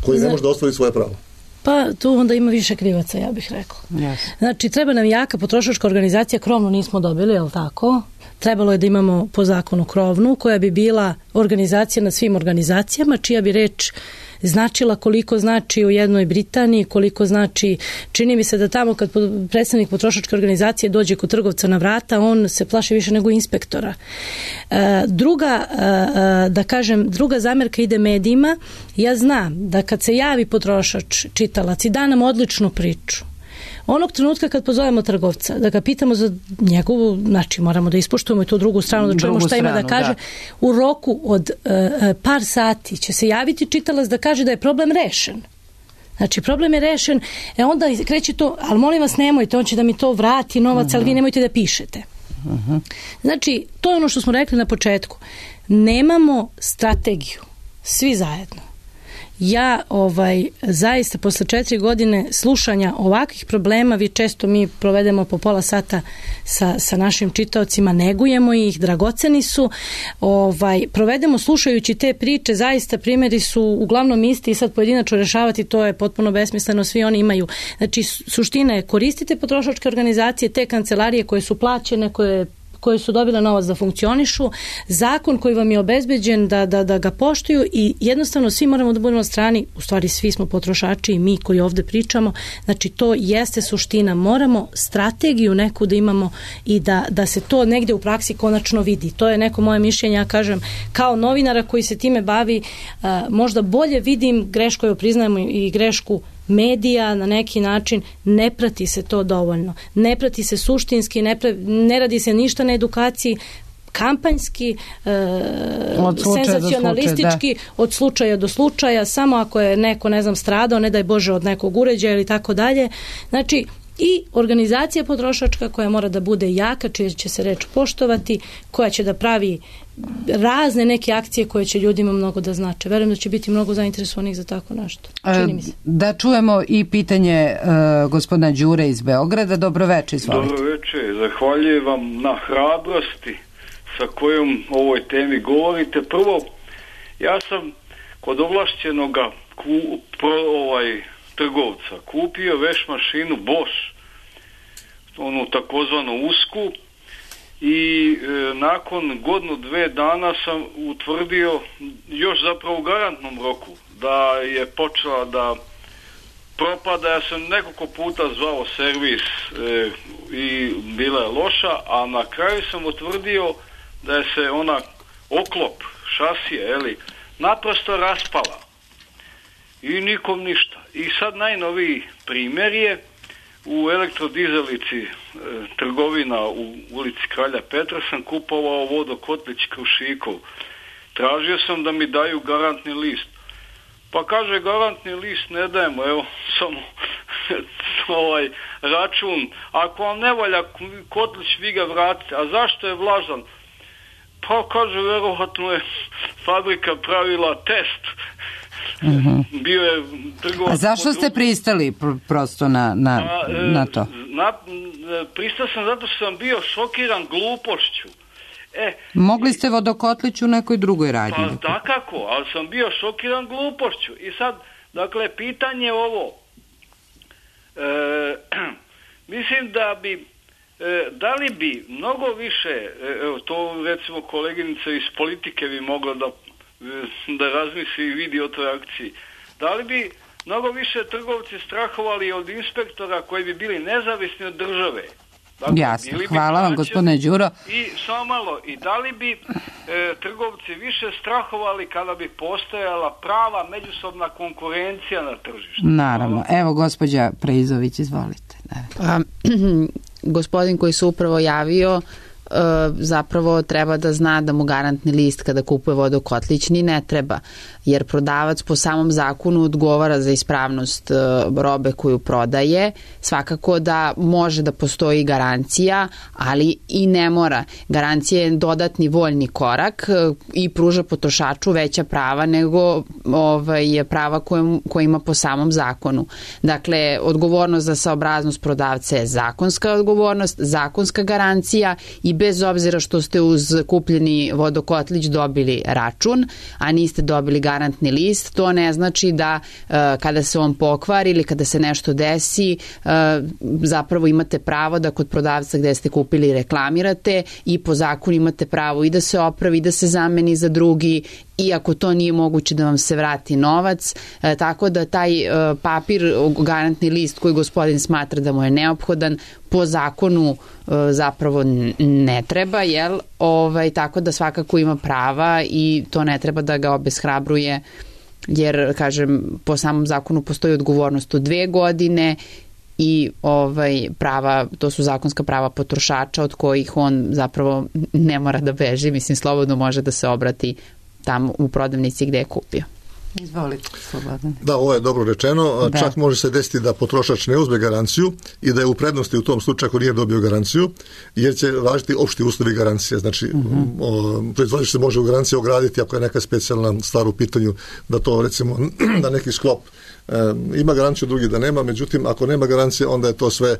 koji ne može da ostvari svoje pravo. Pa tu onda ima više krivaca, ja bih rekla. Yes. Znači, treba nam jaka potrošačka organizacija, krovnu nismo dobili, je li tako? Trebalo je da imamo po zakonu krovnu, koja bi bila organizacija nad svim organizacijama, čija bi reč značila koliko znači u jednoj Britaniji, koliko znači, čini mi se da tamo kad predstavnik potrošačke organizacije dođe kod trgovca na vrata, on se plaši više nego inspektora. E, druga, e, da kažem, druga zamjerka ide medijima. Ja znam da kad se javi potrošač, čitalac i da nam odličnu priču, onog trenutka kad pozovemo trgovca, da ga pitamo za njegovu, znači moramo da ispoštujemo i tu drugu stranu, da čujemo šta ima da kaže, da. U roku od uh, par sati će se javiti čitalac da kaže da je problem rešen. Znači, problem je rešen, e onda kreće to, ali molim vas nemojte, on će da mi to vrati novac, uh-huh. ali vi nemojte da pišete. Uh-huh. Znači, to je ono što smo rekli na početku. Nemamo strategiju, svi zajedno. Ja ovaj zaista posle četiri godine slušanja ovakvih problema, vi često mi provedemo po pola sata sa, sa našim čitaocima, negujemo ih, dragoceni su, ovaj, provedemo slušajući te priče, zaista primjeri su uglavnom isti i sad pojedinačno rešavati to je potpuno besmisleno, svi oni imaju. Znači suština je koristite potrošačke organizacije, te kancelarije koje su plaćene, koje koje su dobile novac da funkcionišu, zakon koji vam je obezbeđen da, da, da ga poštuju i jednostavno svi moramo da budemo na strani, u stvari svi smo potrošači i mi koji ovdje pričamo, znači to jeste suština, moramo strategiju neku da imamo i da, da se to negdje u praksi konačno vidi. To je neko moje mišljenje, ja kažem, kao novinara koji se time bavi, uh, možda bolje vidim grešku, joj priznajemo i grešku medija na neki način, ne prati se to dovoljno. Ne prati se suštinski, ne, pra, ne radi se ništa na edukaciji, kampanjski, e, senzacionalistički, od slučaja do slučaja, samo ako je neko, ne znam, stradao, ne daj Bože, od nekog uređaja ili tako dalje. Znači, i organizacija potrošačka koja mora da bude jaka, čija će se reč poštovati, koja će da pravi razne neke akcije koje će ljudima mnogo da znače. Verujem da će biti mnogo zainteresovanih za tako nešto. Čini mi se. Da čujemo i pitanje uh, gospodina Đure iz Beograda. Dobroveče, izvolite. Dobroveče, zahvaljujem vam na hrabrosti sa kojom o ovoj temi govorite. Prvo, ja sam kod ovlašćenoga ku, pro, ovaj, trgovca kupio veš mašinu Bosch, onu takozvanu usku, i e, nakon godinu dve dana sam utvrdio, još zapravo u garantnom roku, da je počela da propada. Ja sam nekoliko puta zvao servis e, i bila je loša, a na kraju sam utvrdio da je se ona oklop šasije, eli, naprosto raspala. I nikom ništa. I sad najnoviji primjer je u elektrodizelici e, trgovina u ulici Kralja Petra sam kupovao vodokotlić Krušikov. Tražio sam da mi daju garantni list. Pa kaže, garantni list ne dajemo, evo samo ovaj račun. Ako vam ne valja kotlić, vi ga vratite. A zašto je vlažan? Pa kaže, verovatno je fabrika pravila test. Uh-huh. Bio je trgovac. A zašto ste pristali pr- prosto na, na, A, e, na to? Na, pristao sam zato što sam bio šokiran glupošću. E, Mogli ste vodokotlić u nekoj drugoj radnji. Pa takako, ali sam bio šokiran glupošću. I sad, dakle, pitanje je ovo. E, mislim da bi, e, da li bi mnogo više, evo to recimo koleginica iz politike bi mogla da, da razmisli i vidi o toj akciji. Da li bi mnogo više trgovci strahovali od inspektora koji bi bili nezavisni od države? Dakle, jasno, hvala vam gospodine Đuro. I samo malo, i da li bi e, trgovci više strahovali kada bi postojala prava međusobna konkurencija na tržištu? Naravno. Hvala. Evo gospođa Preizović, izvolite. Pa, gospodin koji se upravo javio zapravo treba da zna da mu garantni list kada kupuje vodokotlić ni ne treba, jer prodavac po samom zakonu odgovara za ispravnost robe koju prodaje. Svakako da može da postoji garancija, ali i ne mora. Garancija je dodatni voljni korak i pruža potrošaču veća prava nego ovaj, prava koje, koje ima po samom zakonu. Dakle, odgovornost za saobraznost prodavca je zakonska odgovornost, zakonska garancija i bez obzira što ste uz kupljeni vodokotlić dobili račun, a niste dobili garantni list, to ne znači da uh, kada se on pokvari ili kada se nešto desi, uh, zapravo imate pravo da kod prodavca gde ste kupili reklamirate i po zakonu imate pravo i da se opravi, i da se zameni za drugi, i ako to nije moguće da vam se vrati novac, e, tako da taj e, papir, garantni list koji gospodin smatra da mu je neophodan, po zakonu e, zapravo ne treba, jel? Ovaj, tako da svakako ima prava i to ne treba da ga obeshrabruje, jer, kažem, po samom zakonu postoji odgovornost od dve godine i ovaj prava, to su zakonska prava potrošača od kojih on zapravo ne mora da beži, mislim, slobodno može da se obrati tamo u prodavnici gde je kupio. Izvolite, Slobodan. Da, ovo je dobro rečeno. Da. Čak može se desiti da potrošač ne uzme garanciju i da je u prednosti u tom slučaju ako nije dobio garanciju, jer će važiti opšti uslovi garancije. Znači, uh-huh. proizvođač se može u garanciji ograditi ako je neka specijalna stvar u pitanju, da to recimo, da neki sklop e, ima garanciju, drugi da nema, međutim, ako nema garancije, onda je to sve,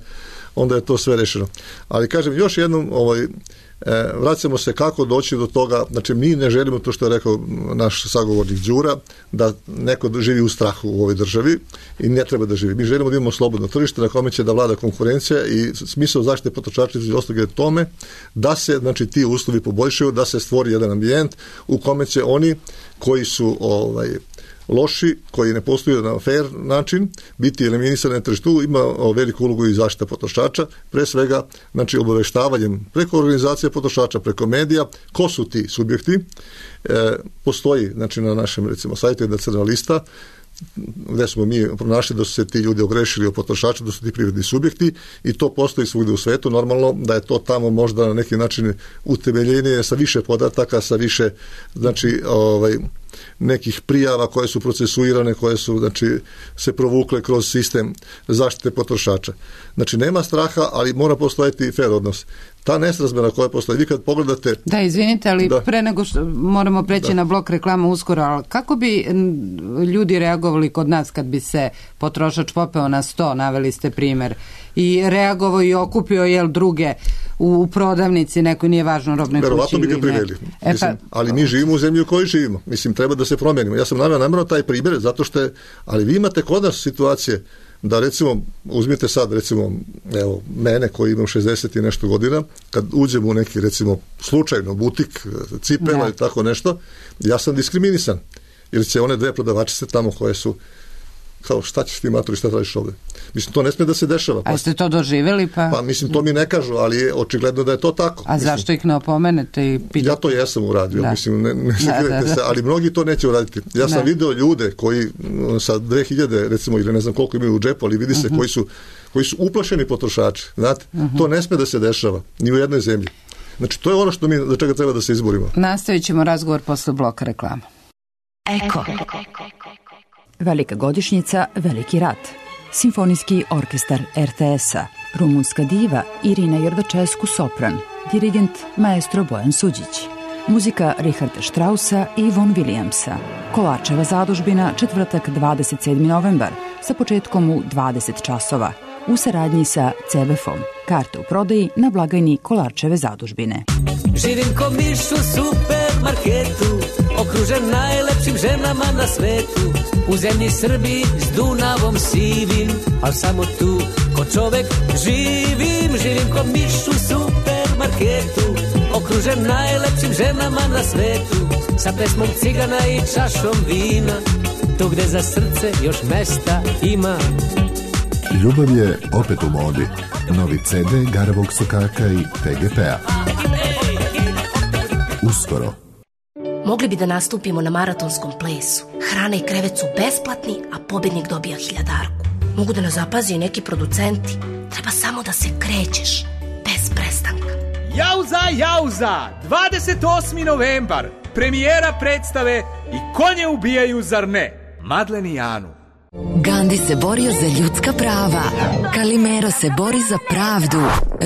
onda je to sve rešeno. Ali kažem, još jednom, ovaj, E, vraćamo se kako doći do toga, znači mi ne želimo to što je rekao naš sagovornik Đura, da neko živi u strahu u ovoj državi i ne treba da živi. Mi želimo da imamo slobodno tržište na kome će da vlada konkurencija i smisao zaštite potrošača između ostalog je tome da se, znači, ti uslovi poboljšaju, da se stvori jedan ambijent u kome će oni koji su ovaj loši, koji ne postoju na fair način, biti eliminisani na tržištu. Ima veliku ulogu i zaštita potrošača, pre svega, znači, obaveštavanjem preko organizacije potrošača, preko medija, ko su ti subjekti. E, postoji, znači, na našem, recimo, sajtu jedna crna lista, gde smo mi pronašli da su se ti ljudi ogrešili o potrošača, da su ti privredni subjekti, i to postoji svugde u svetu. Normalno da je to tamo možda na neki način utemeljenije sa više podataka, sa više, znači, ovaj, nekih prijava koje su procesuirane, koje su, znači, se provukle kroz sistem zaštite potrošača. Znači, nema straha, ali mora postojati fair odnos. Ta nesrazmera koja postoji, vi kad pogledate... Da, izvinite, ali da, pre nego što moramo preći da. na blok reklama uskoro, ali kako bi ljudi reagovali kod nas kad bi se potrošač popeo na sto, naveli ste primer, i reagovao i okupio, jel, druge u, u prodavnici, neko, nije važno, robnoj kući. Verovatno bi ga priveli. E, mislim, pa, ali mi živimo u zemlji u kojoj živimo. Mislim, treba da se promenimo. Ja sam naveo namjerno taj primjer, zato što je, ali vi imate kod nas situacije da, recimo, uzmite sad, recimo, evo, mene koji imam šezdeset i nešto godina, kad uđem u neki, recimo, slučajno butik, cipela i tako nešto, ja sam diskriminisan, jer će one dve prodavačice tamo koje su kao šta ćeš ti matori, šta tražiš ovde? Mislim, to ne smije da se dešava. A ste to doživjeli pa? Pa mislim, to mi ne kažu, ali je očigledno da je to tako. A mislim, zašto ih ne opomenete? I pitate? Ja to jesam uradio, da. mislim, ne, ne da, da, da. se, ali mnogi to neće uraditi. Ja sam da. video ljude koji sa dve hiljade, recimo, ili ne znam koliko imaju u džepu, ali vidi se uh-huh. koji su koji su uplašeni potrošači. Znate, uh-huh. to ne smije da se dešava, ni u jednoj zemlji. Znači, to je ono što mi, za čega treba da se izborimo. Nastavit ćemo razgovor posle bloka reklama. Eko. Velika godišnjica, veliki rat. Simfonijski orkestar er te es-a, rumunska diva Irina Jordačesku sopran, dirigent maestro Bojan Suđić. Muzika Richarda Straussa i Von Williamsa. Kolarčeva zadužbina, četvrtak dvadeset sedmi novembar, sa početkom u dvadeset časova, u saradnji sa ce ve efom. Karte u prodaji na blagajni Kolarčeve zadužbine. Živim ko miš u supermarketu, okružen najlepšim ženama na svetu. U zemlji Srbiji s Dunavom sivim, al samo tu ko čovek živim. Živim ko miš u supermarketu, okružen najlepšim ženama na svetu. Sa pesmom cigana i čašom vina, tu gde za srce još mesta ima. Ljubav je opet u modi. Novi ce de Garavog sokaka i te ge pe-a. Uskoro. Mogli bi da nastupimo na maratonskom plesu. Hrana i krevet su besplatni, a pobednik dobija hiljadarku. Mogu da nas zapazi i neki producenti. Treba samo da se krećeš, bez prestanka. Jauza, jauza! dvadeset osmi novembar. Premijera predstave I konje ubijaju, zar ne? Madlen i Anu. Gandhi se borio za ljudska prava, Kalimero se bori za pravdu,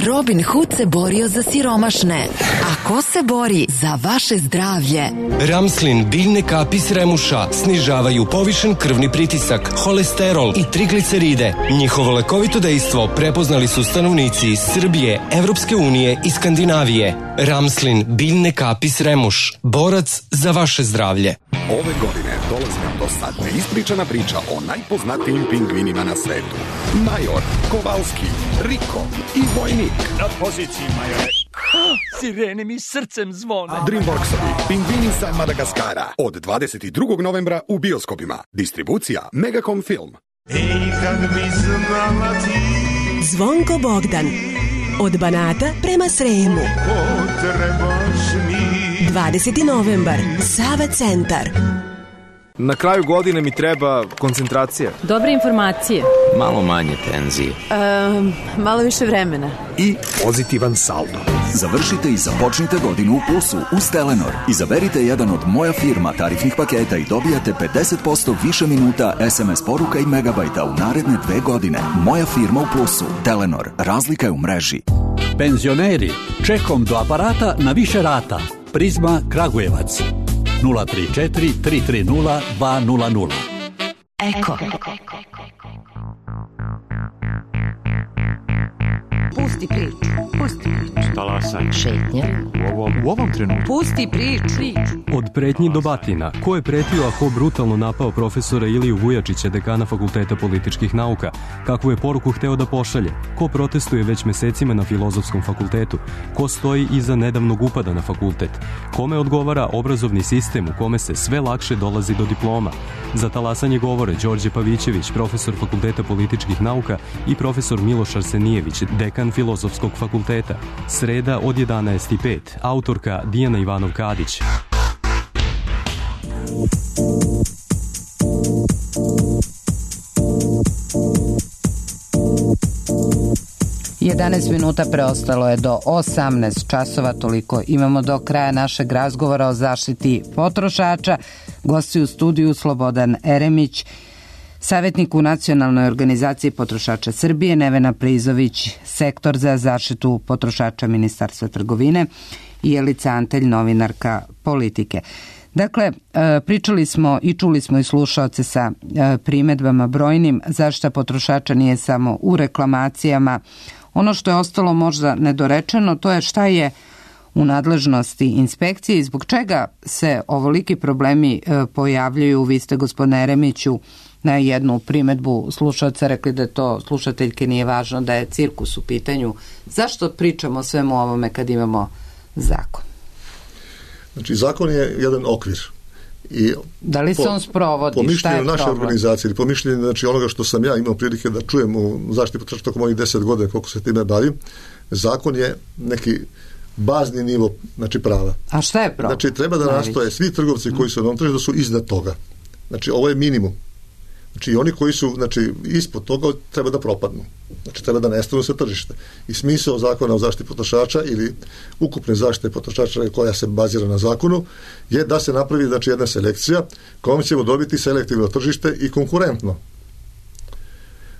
Robin Hood se borio za siromašne. A ko se bori za vaše zdravlje? Ramslin biljne kapi s remuša snižavaju povišen krvni pritisak, holesterol i trigliceride. Njihovo lekovito dejstvo prepoznali su stanovnici iz Srbije, Evropske unije i Skandinavije. Ramslin biljne kapi s remuš, borac za vaše zdravlje. Ove godine dolazi nam do sad neispričana priča o najpoznatijim pingvinima na svetu. Major, Kovalski, Riko i Vojnik. Na poziciji, majore. Sirene mi srcem zvone. Dreamworksovi Pingvini sa Madagaskara. Od dvadeset drugog novembra u bioskopima. Distribucija Megacom Film. Ej, kad bi znala ti. Zvonko Bogdan. Od Banata prema Sremu. Potrebaš mi. dvadeseti novembar. Sava centar. Na kraju godine mi treba koncentracija. Dobre informacije. Malo manje tenzije. Um, malo više vremena. I pozitivan saldo. Završite i započnite godinu u plusu uz Telenor. Izaberite jedan od Moja firma tarifnih paketa i dobijate pedeset posto više minuta es em es poruka i megabajta u naredne dve godine. Moja firma u plusu. Telenor. Razlika je u mreži. Penzioneri, čekom do aparata na više rata. Prizma Kragujevac. nula tri četiri tri tri nula dva nula nula. Eko. Pusti priču. Pusti priču. Talasanje. Šetnje. U ovom, u ovom trenutku. Pusti priču. Od pretnji do batina. Ko je pretio, a ko brutalno napao profesora Iliju Vujačića, dekana Fakulteta političkih nauka? Kakvu je poruku hteo da pošalje? Ko protestuje već mesecima na Filozofskom fakultetu? Ko stoji iza nedavnog upada na fakultet? Kome odgovara obrazovni sistem u kome se sve lakše dolazi do diploma? Za talasanje govore Đorđe Pavićević, profesor Fakulteta političkih nauka, i profesor Miloš Arsenijević, dekan Filozofskog fakulteta. Sreda od jedanaest i pet. Autorka Dijana Ivanov-Kadić. jedanaest minuta preostalo je do osamnaest časova, toliko imamo do kraja našeg razgovora o zaštiti potrošača. Gosti u studiju Slobodan Eremić, savjetnik u Nacionalnoj organizaciji potrošača Srbije, Nevena Prizović, sektor za zaštitu potrošača Ministarstva trgovine, i Jelica Antelj, novinarka Politike. Dakle, pričali smo i čuli smo i slušaoce sa primedbama brojnim. Zaštita potrošača nije samo u reklamacijama. Ono što je ostalo možda nedorečeno, to je šta je u nadležnosti inspekcije i zbog čega se ovoliki problemi pojavljaju. Vi ste, gospodine Eremiću, na jednu primedbu slušalca rekli da to slušateljke nije važno, da je cirkus u pitanju. Zašto pričamo o svemu ovome kad imamo zakon? Znači, zakon je jedan okvir I da li se on sprovodi? Po mišljenju naše organizacije ili po mišljenju znači, onoga što sam ja imao prilike da čujem u zaštiti potrošača tokom ovih deset godina koliko se time bavim, zakon je neki bazni nivo znači, prava. A šta je problem? Znači treba da nastoje svi trgovci koji su na ovom tržištu da su iznad toga. Znači ovo je minimum. Znači i oni koji su znači, ispod toga treba da propadnu. Znači treba da nestanu sa tržište. I smisao zakona o zaštiti potrošača ili ukupne zaštite potrošača koja se bazira na zakonu je da se napravi znači, jedna selekcija kojom ćemo dobiti selektivno tržište i konkurentno.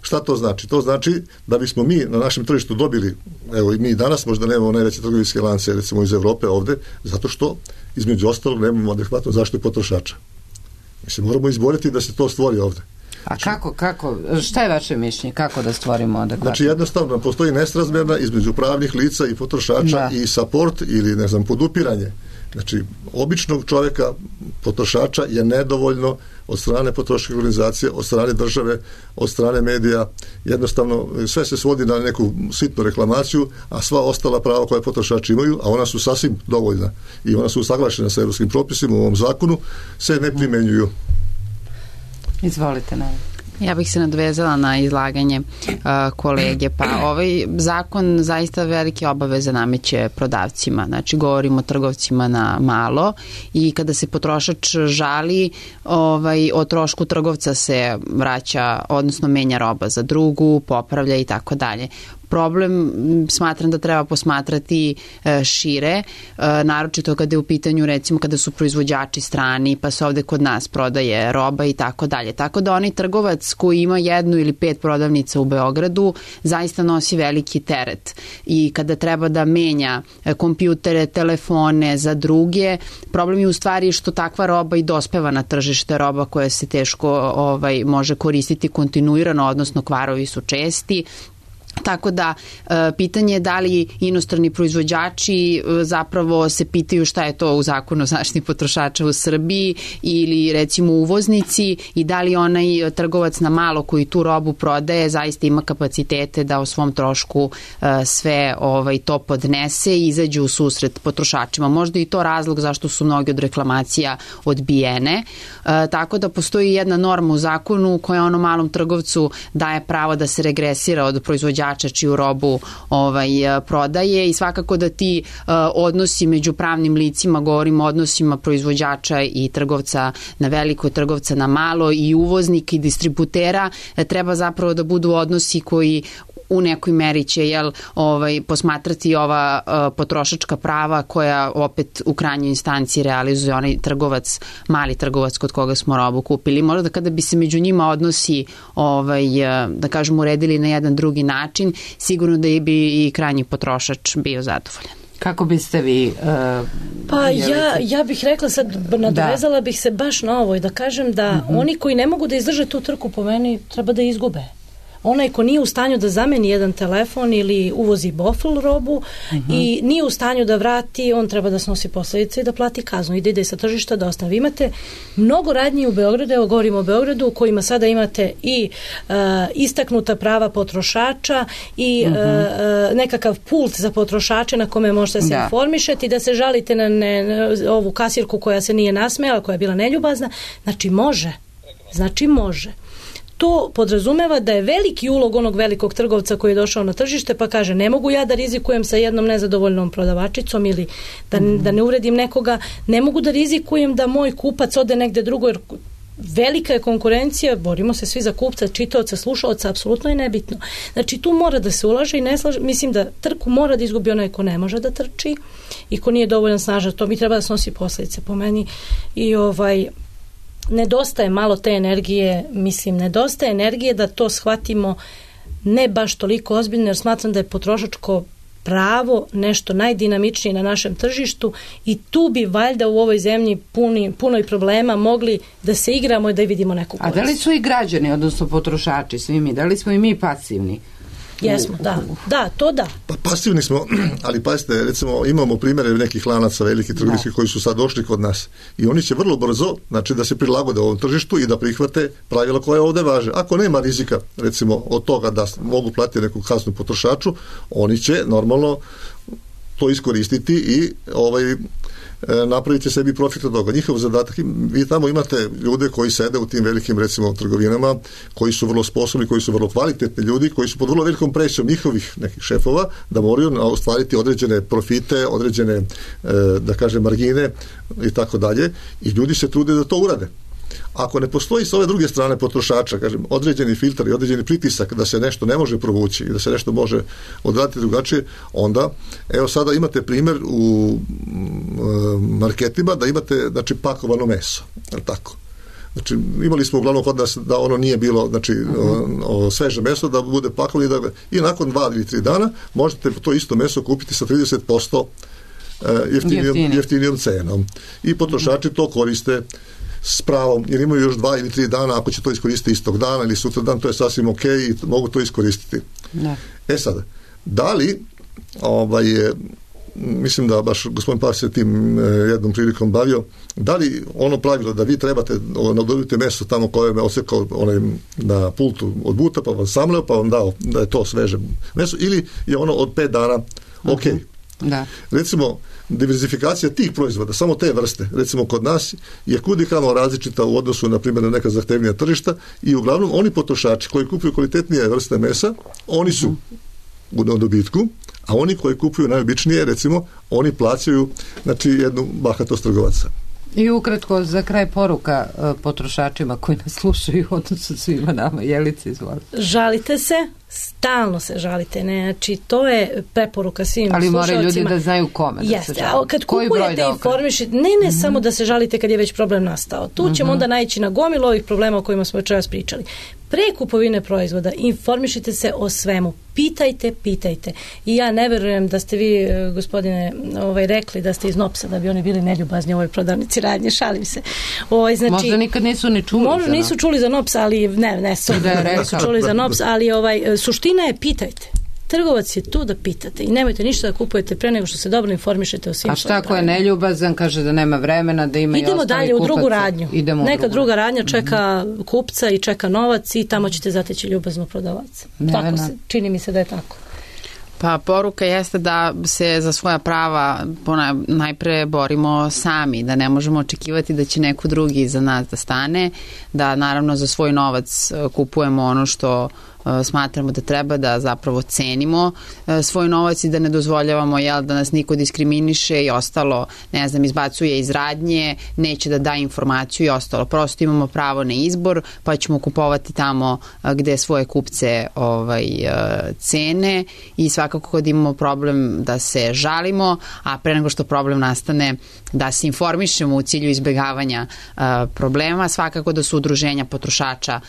Šta to znači? To znači da bismo mi na našem tržištu dobili, evo i mi danas možda nemamo najveće trgovinske lance recimo iz Evrope ovde, zato što između ostalog nemamo adekvatnu zaštitu potrošača. Mi se moramo izboriti da se to stvori ovde. A znači, kako, kako, šta je vaše mišljenje? Kako da stvorimo adekvatno? Znači jednostavno postoji nesrazmjerna između pravnih lica i potrošača da. I support ili ne znam podupiranje. Znači običnog čovjeka potrošača je nedovoljno od strane potrošačke organizacije, od strane države, od strane medija. Jednostavno sve se svodi na neku sitnu reklamaciju, a sva ostala prava koje potrošači imaju, a ona su sasvim dovoljna i ona su usaglašena sa evropskim propisima u ovom zakonu, se ne primenjuju. Izvolite, ne. Ja bih se nadovezala na izlaganje uh, kolege. Pa ovaj zakon zaista velike obaveze nameće prodavcima. Znači, govorimo o trgovcima na malo i kada se potrošač žali, ovaj, o trošku trgovca se vraća, odnosno menja roba za drugu, popravlja i tako dalje. Problem smatram da treba posmatrati e, šire, e, naročito kada je u pitanju recimo kada su proizvođači strani pa se ovde kod nas prodaje roba i tako dalje. Tako da onaj trgovac koji ima jednu ili pet prodavnica u Beogradu zaista nosi veliki teret i kada treba da menja e, kompjutere, telefone za druge, problem je u stvari što takva roba i dospeva na tržište, roba koja se teško ovaj, može koristiti kontinuirano, odnosno kvarovi su česti. Tako da e, pitanje je da li inostrani proizvođači e, zapravo se pitaju šta je to u zakonu o zaštiti potrošača u Srbiji ili recimo uvoznici i da li onaj trgovac na malo koji tu robu prodaje zaista ima kapacitete da o svom trošku e, sve ovaj, to podnese i izađe u susret potrošačima. Možda i to razlog zašto su mnogi od reklamacija odbijene. E, tako da postoji jedna norma u zakonu koja ono malom trgovcu daje pravo da se regresira od proizvođača čiju robu ovaj, prodaje i svakako da ti uh, odnosi među pravnim licima, govorimo o odnosima proizvođača i trgovca na veliko, trgovca na malo i uvoznika i distributera, treba zapravo da budu odnosi koji u nekoj meri će jel, ovaj, posmatrati ova uh, potrošačka prava koja opet u krajnjoj instanciji realizuje onaj trgovac, mali trgovac kod koga smo robu kupili. Možda da kada bi se među njima odnosi ovaj, da kažemo uredili na jedan drugi način, sigurno da bi i krajnji potrošač bio zadovoljan. Kako biste vi... Uh, pa ja, ja bih rekla sad, nadovezala da. bih se baš na ovo i da kažem da uh-huh. oni koji ne mogu da izdrže tu trku po meni treba da izgube. Onaj ko nije u stanju da zameni jedan telefon ili uvozi bofl robu uh-huh. i nije u stanju da vrati, on treba da snosi posledice i da plati kaznu i da ide sa tržišta da ostavi. Vi imate mnogo radnji u Beogradu, evo govorimo o Beogradu, u kojima sada imate i uh, istaknuta prava potrošača i uh-huh. uh, nekakav pult za potrošače na kome možete se da. informišeti i da se žalite na, ne, na ovu kasirku koja se nije nasmejala, koja je bila neljubazna. Znači može. Znači može. To podrazumeva da je veliki ulog onog velikog trgovca koji je došao na tržište pa kaže ne mogu ja da rizikujem sa jednom nezadovoljnom prodavačicom ili da, mm. da ne uvredim nekoga, ne mogu da rizikujem da moj kupac ode negde drugo jer velika je konkurencija, borimo se svi za kupca, čitaoca, slušaoca, apsolutno je nebitno. Znači tu mora da se ulaže i ne slaže, mislim da trku mora da izgubi onaj ko ne može da trči i ko nije dovoljno snažan, to mi treba da snosi posledice po meni i ovaj nedostaje malo te energije, mislim, nedostaje energije da to shvatimo ne baš toliko ozbiljno, jer smatram da je potrošačko pravo nešto najdinamičnije na našem tržištu i tu bi valjda u ovoj zemlji puni, puno i problema mogli da se igramo i da vidimo neku korist. A da li su i građani, odnosno potrošači, svi mi, da li smo i mi pasivni? Jesmo, da. Da, to da. Pa pasivni smo, ali pazite, recimo imamo primjere nekih lanaca velikih trgovinskih koji su sad došli kod nas i oni će vrlo brzo, znači da se prilagode ovom tržištu i da prihvate pravila koje ovde važe. Ako nema rizika, recimo od toga da mogu platiti neku kaznu potrošaču, oni će normalno to iskoristiti i ovaj napraviti sebi profit od toga. Njihov zadatak, vi tamo imate ljude koji sede u tim velikim, recimo, trgovinama, koji su vrlo sposobni, koji su vrlo kvalitetni ljudi, koji su pod vrlo velikom presijom njihovih nekih šefova da moraju ostvariti određene profite, određene, da kažem, margine i tako dalje, i ljudi se trude da to urade. Ako ne postoji s ove druge strane potrošača, kažem, određeni filtar i određeni pritisak da se nešto ne može provući i da se nešto može odraditi drugačije, onda, evo sada imate primjer u marketima da imate, znači, pakovano meso, tako. Znači, imali smo uglavnom kod nas da ono nije bilo, znači, uh-huh. o, o, sveže meso, da bude pakovano i da i nakon dva ili tri dana možete to isto meso kupiti sa trideset posto jeftinijom, jeftinijom cenom. I potrošači to koriste s pravom, jer imaju još dva ili tri dana, ako će to iskoristiti istog dana ili sutra dan, to je sasvim ok i mogu to iskoristiti. Ne. E sada, da li ovaj, mislim da baš gospodin Pavić se tim jednom prilikom bavio, da li ono pravilo da vi trebate nadobiti meso tamo koje me osekao onaj na pultu od buta, pa vam samleo, pa vam dao da je to sveže meso, ili je ono od pet dana ok. Uh-huh. Da. Recimo, diverzifikacija tih proizvoda, samo te vrste, recimo kod nas je kudikamo različita u odnosu na primjer na neka zahtevnija tržišta, i uglavnom oni potrošači koji kupuju kvalitetnije vrste mesa, oni su u dobitku, a oni koji kupuju najobičnije, recimo, oni plaćaju, znači, jednu bahatost trgovaca. I ukratko, za kraj, poruka potrošačima koji nas slušaju, odnosno svima nama. Jelice, izvolite. Žalite se, stalno se žalite, ne, znači to je preporuka svim slušalcima. Ali moraju ljudi da znaju kome da Jeste, se žali. Kad kupujete informišite, ne, ne mm-hmm. samo da se žalite kad je već problem nastao. Tu mm-hmm. ćemo onda naići na gomilu ovih problema o kojima smo večeras pričali. Pre kupovine proizvoda informišite se o svemu. Pitajte, pitajte. I ja ne verujem da ste vi, gospodine, ovaj, rekli da ste iz Nopsa, da bi oni bili neljubazni u ovoj prodavnici radnje, šalim se. Ovaj, znači, možda nikad nisu ni čuli možda nisu čuli za Nops, ali ne, ne, su, da nisu čuli za Nops, ali ovaj, suština je pitajte. Trgovac je tu da pitate i nemojte ništa da kupujete pre nego što se dobro informišete o svim. A šta ako je neljubazan, kaže da nema vremena, da ima idemo i ostali dalje kupaca. U drugu radnju. Idemo Neka drugu. druga radnja čeka mm-hmm. kupca i čeka novac i tamo ćete zateći ljubaznu prodavaca. Tako se, čini mi se da je tako. Pa poruka jeste da se za svoja prava najpre borimo sami, da ne možemo očekivati da će neko drugi za nas da stane, da naravno za svoj novac kupujemo ono što smatramo da treba, da zapravo cenimo svoj novac i da ne dozvoljavamo, jel, da nas niko diskriminiše i ostalo, ne znam, izbacuje iz radnje, neće da da informaciju i ostalo. Prosto imamo pravo na izbor, pa ćemo kupovati tamo gde svoje kupce ovaj, cene i svakako kad imamo problem da se žalimo, a pre nego što problem nastane da se informišemo u cilju izbjegavanja problema. Svakako da su udruženja potrošača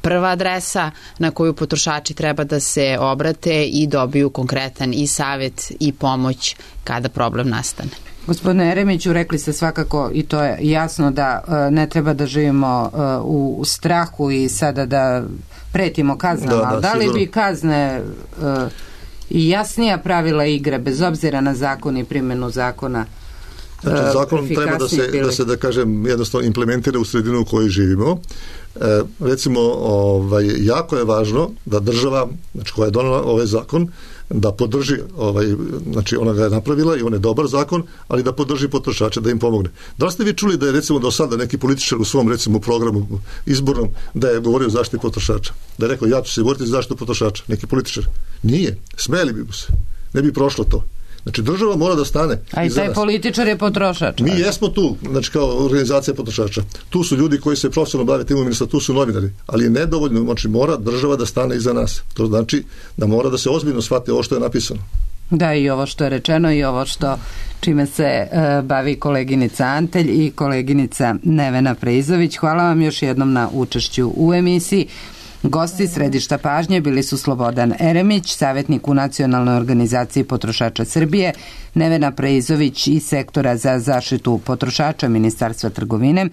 prva adresa na koju potrošači treba da se obrate i dobiju konkretan i savjet i pomoć kada problem nastane. Gospodine Eremiću, rekli ste svakako, i to je jasno, da ne treba da živimo u strahu i sada da pretimo kaznama. Da, da, da li bi kazne i jasnija pravila igre, bez obzira na zakon i primjenu zakona? Znači, zakon treba da se, da se, da kažem, jednostavno implementira u sredinu u kojoj živimo. E, recimo, ovaj, jako je važno da država, znači koja je donela ovaj zakon, da podrži, ovaj, znači ona ga je napravila i on je dobar zakon, ali da podrži potrošače, da im pomogne. Da li ste vi čuli da je recimo do sada neki političar u svom recimo programu izbornom da je govorio o zaštiti potrošača? Da je rekao, ja ću se govoriti za zaštitu potrošača. Neki političar? Nije. Smeli bi mu se. Ne bi prošlo to. Znači, država mora da stane. A i taj političar je potrošač. Mi jesmo tu, znači kao organizacija potrošača. Tu su ljudi koji se profesionalno bave tim ministarstvom, tu su novinari. Ali je nedovoljno, znači mora država da stane iza nas. To znači da mora da se ozbiljno shvati ovo što je napisano. Da, i ovo što je rečeno i ovo što čime se uh, bavi koleginica Antelj i koleginica Nevena Preizović. Hvala vam još jednom na učešću u emisiji. Gosti središta pažnje bili su Slobodan Eremić, savjetnik u Nacionalnoj organizaciji potrošača Srbije, Nevena Preizović iz sektora za zaštitu potrošača Ministarstva trgovine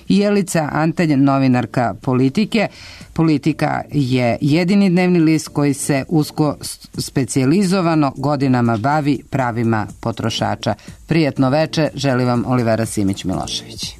i Jelica Antelj, novinarka Politike. Politika je jedini dnevni list koji se usko specijalizovano godinama bavi pravima potrošača. Prijatno veče, želi vam Olivera Simić Milošević.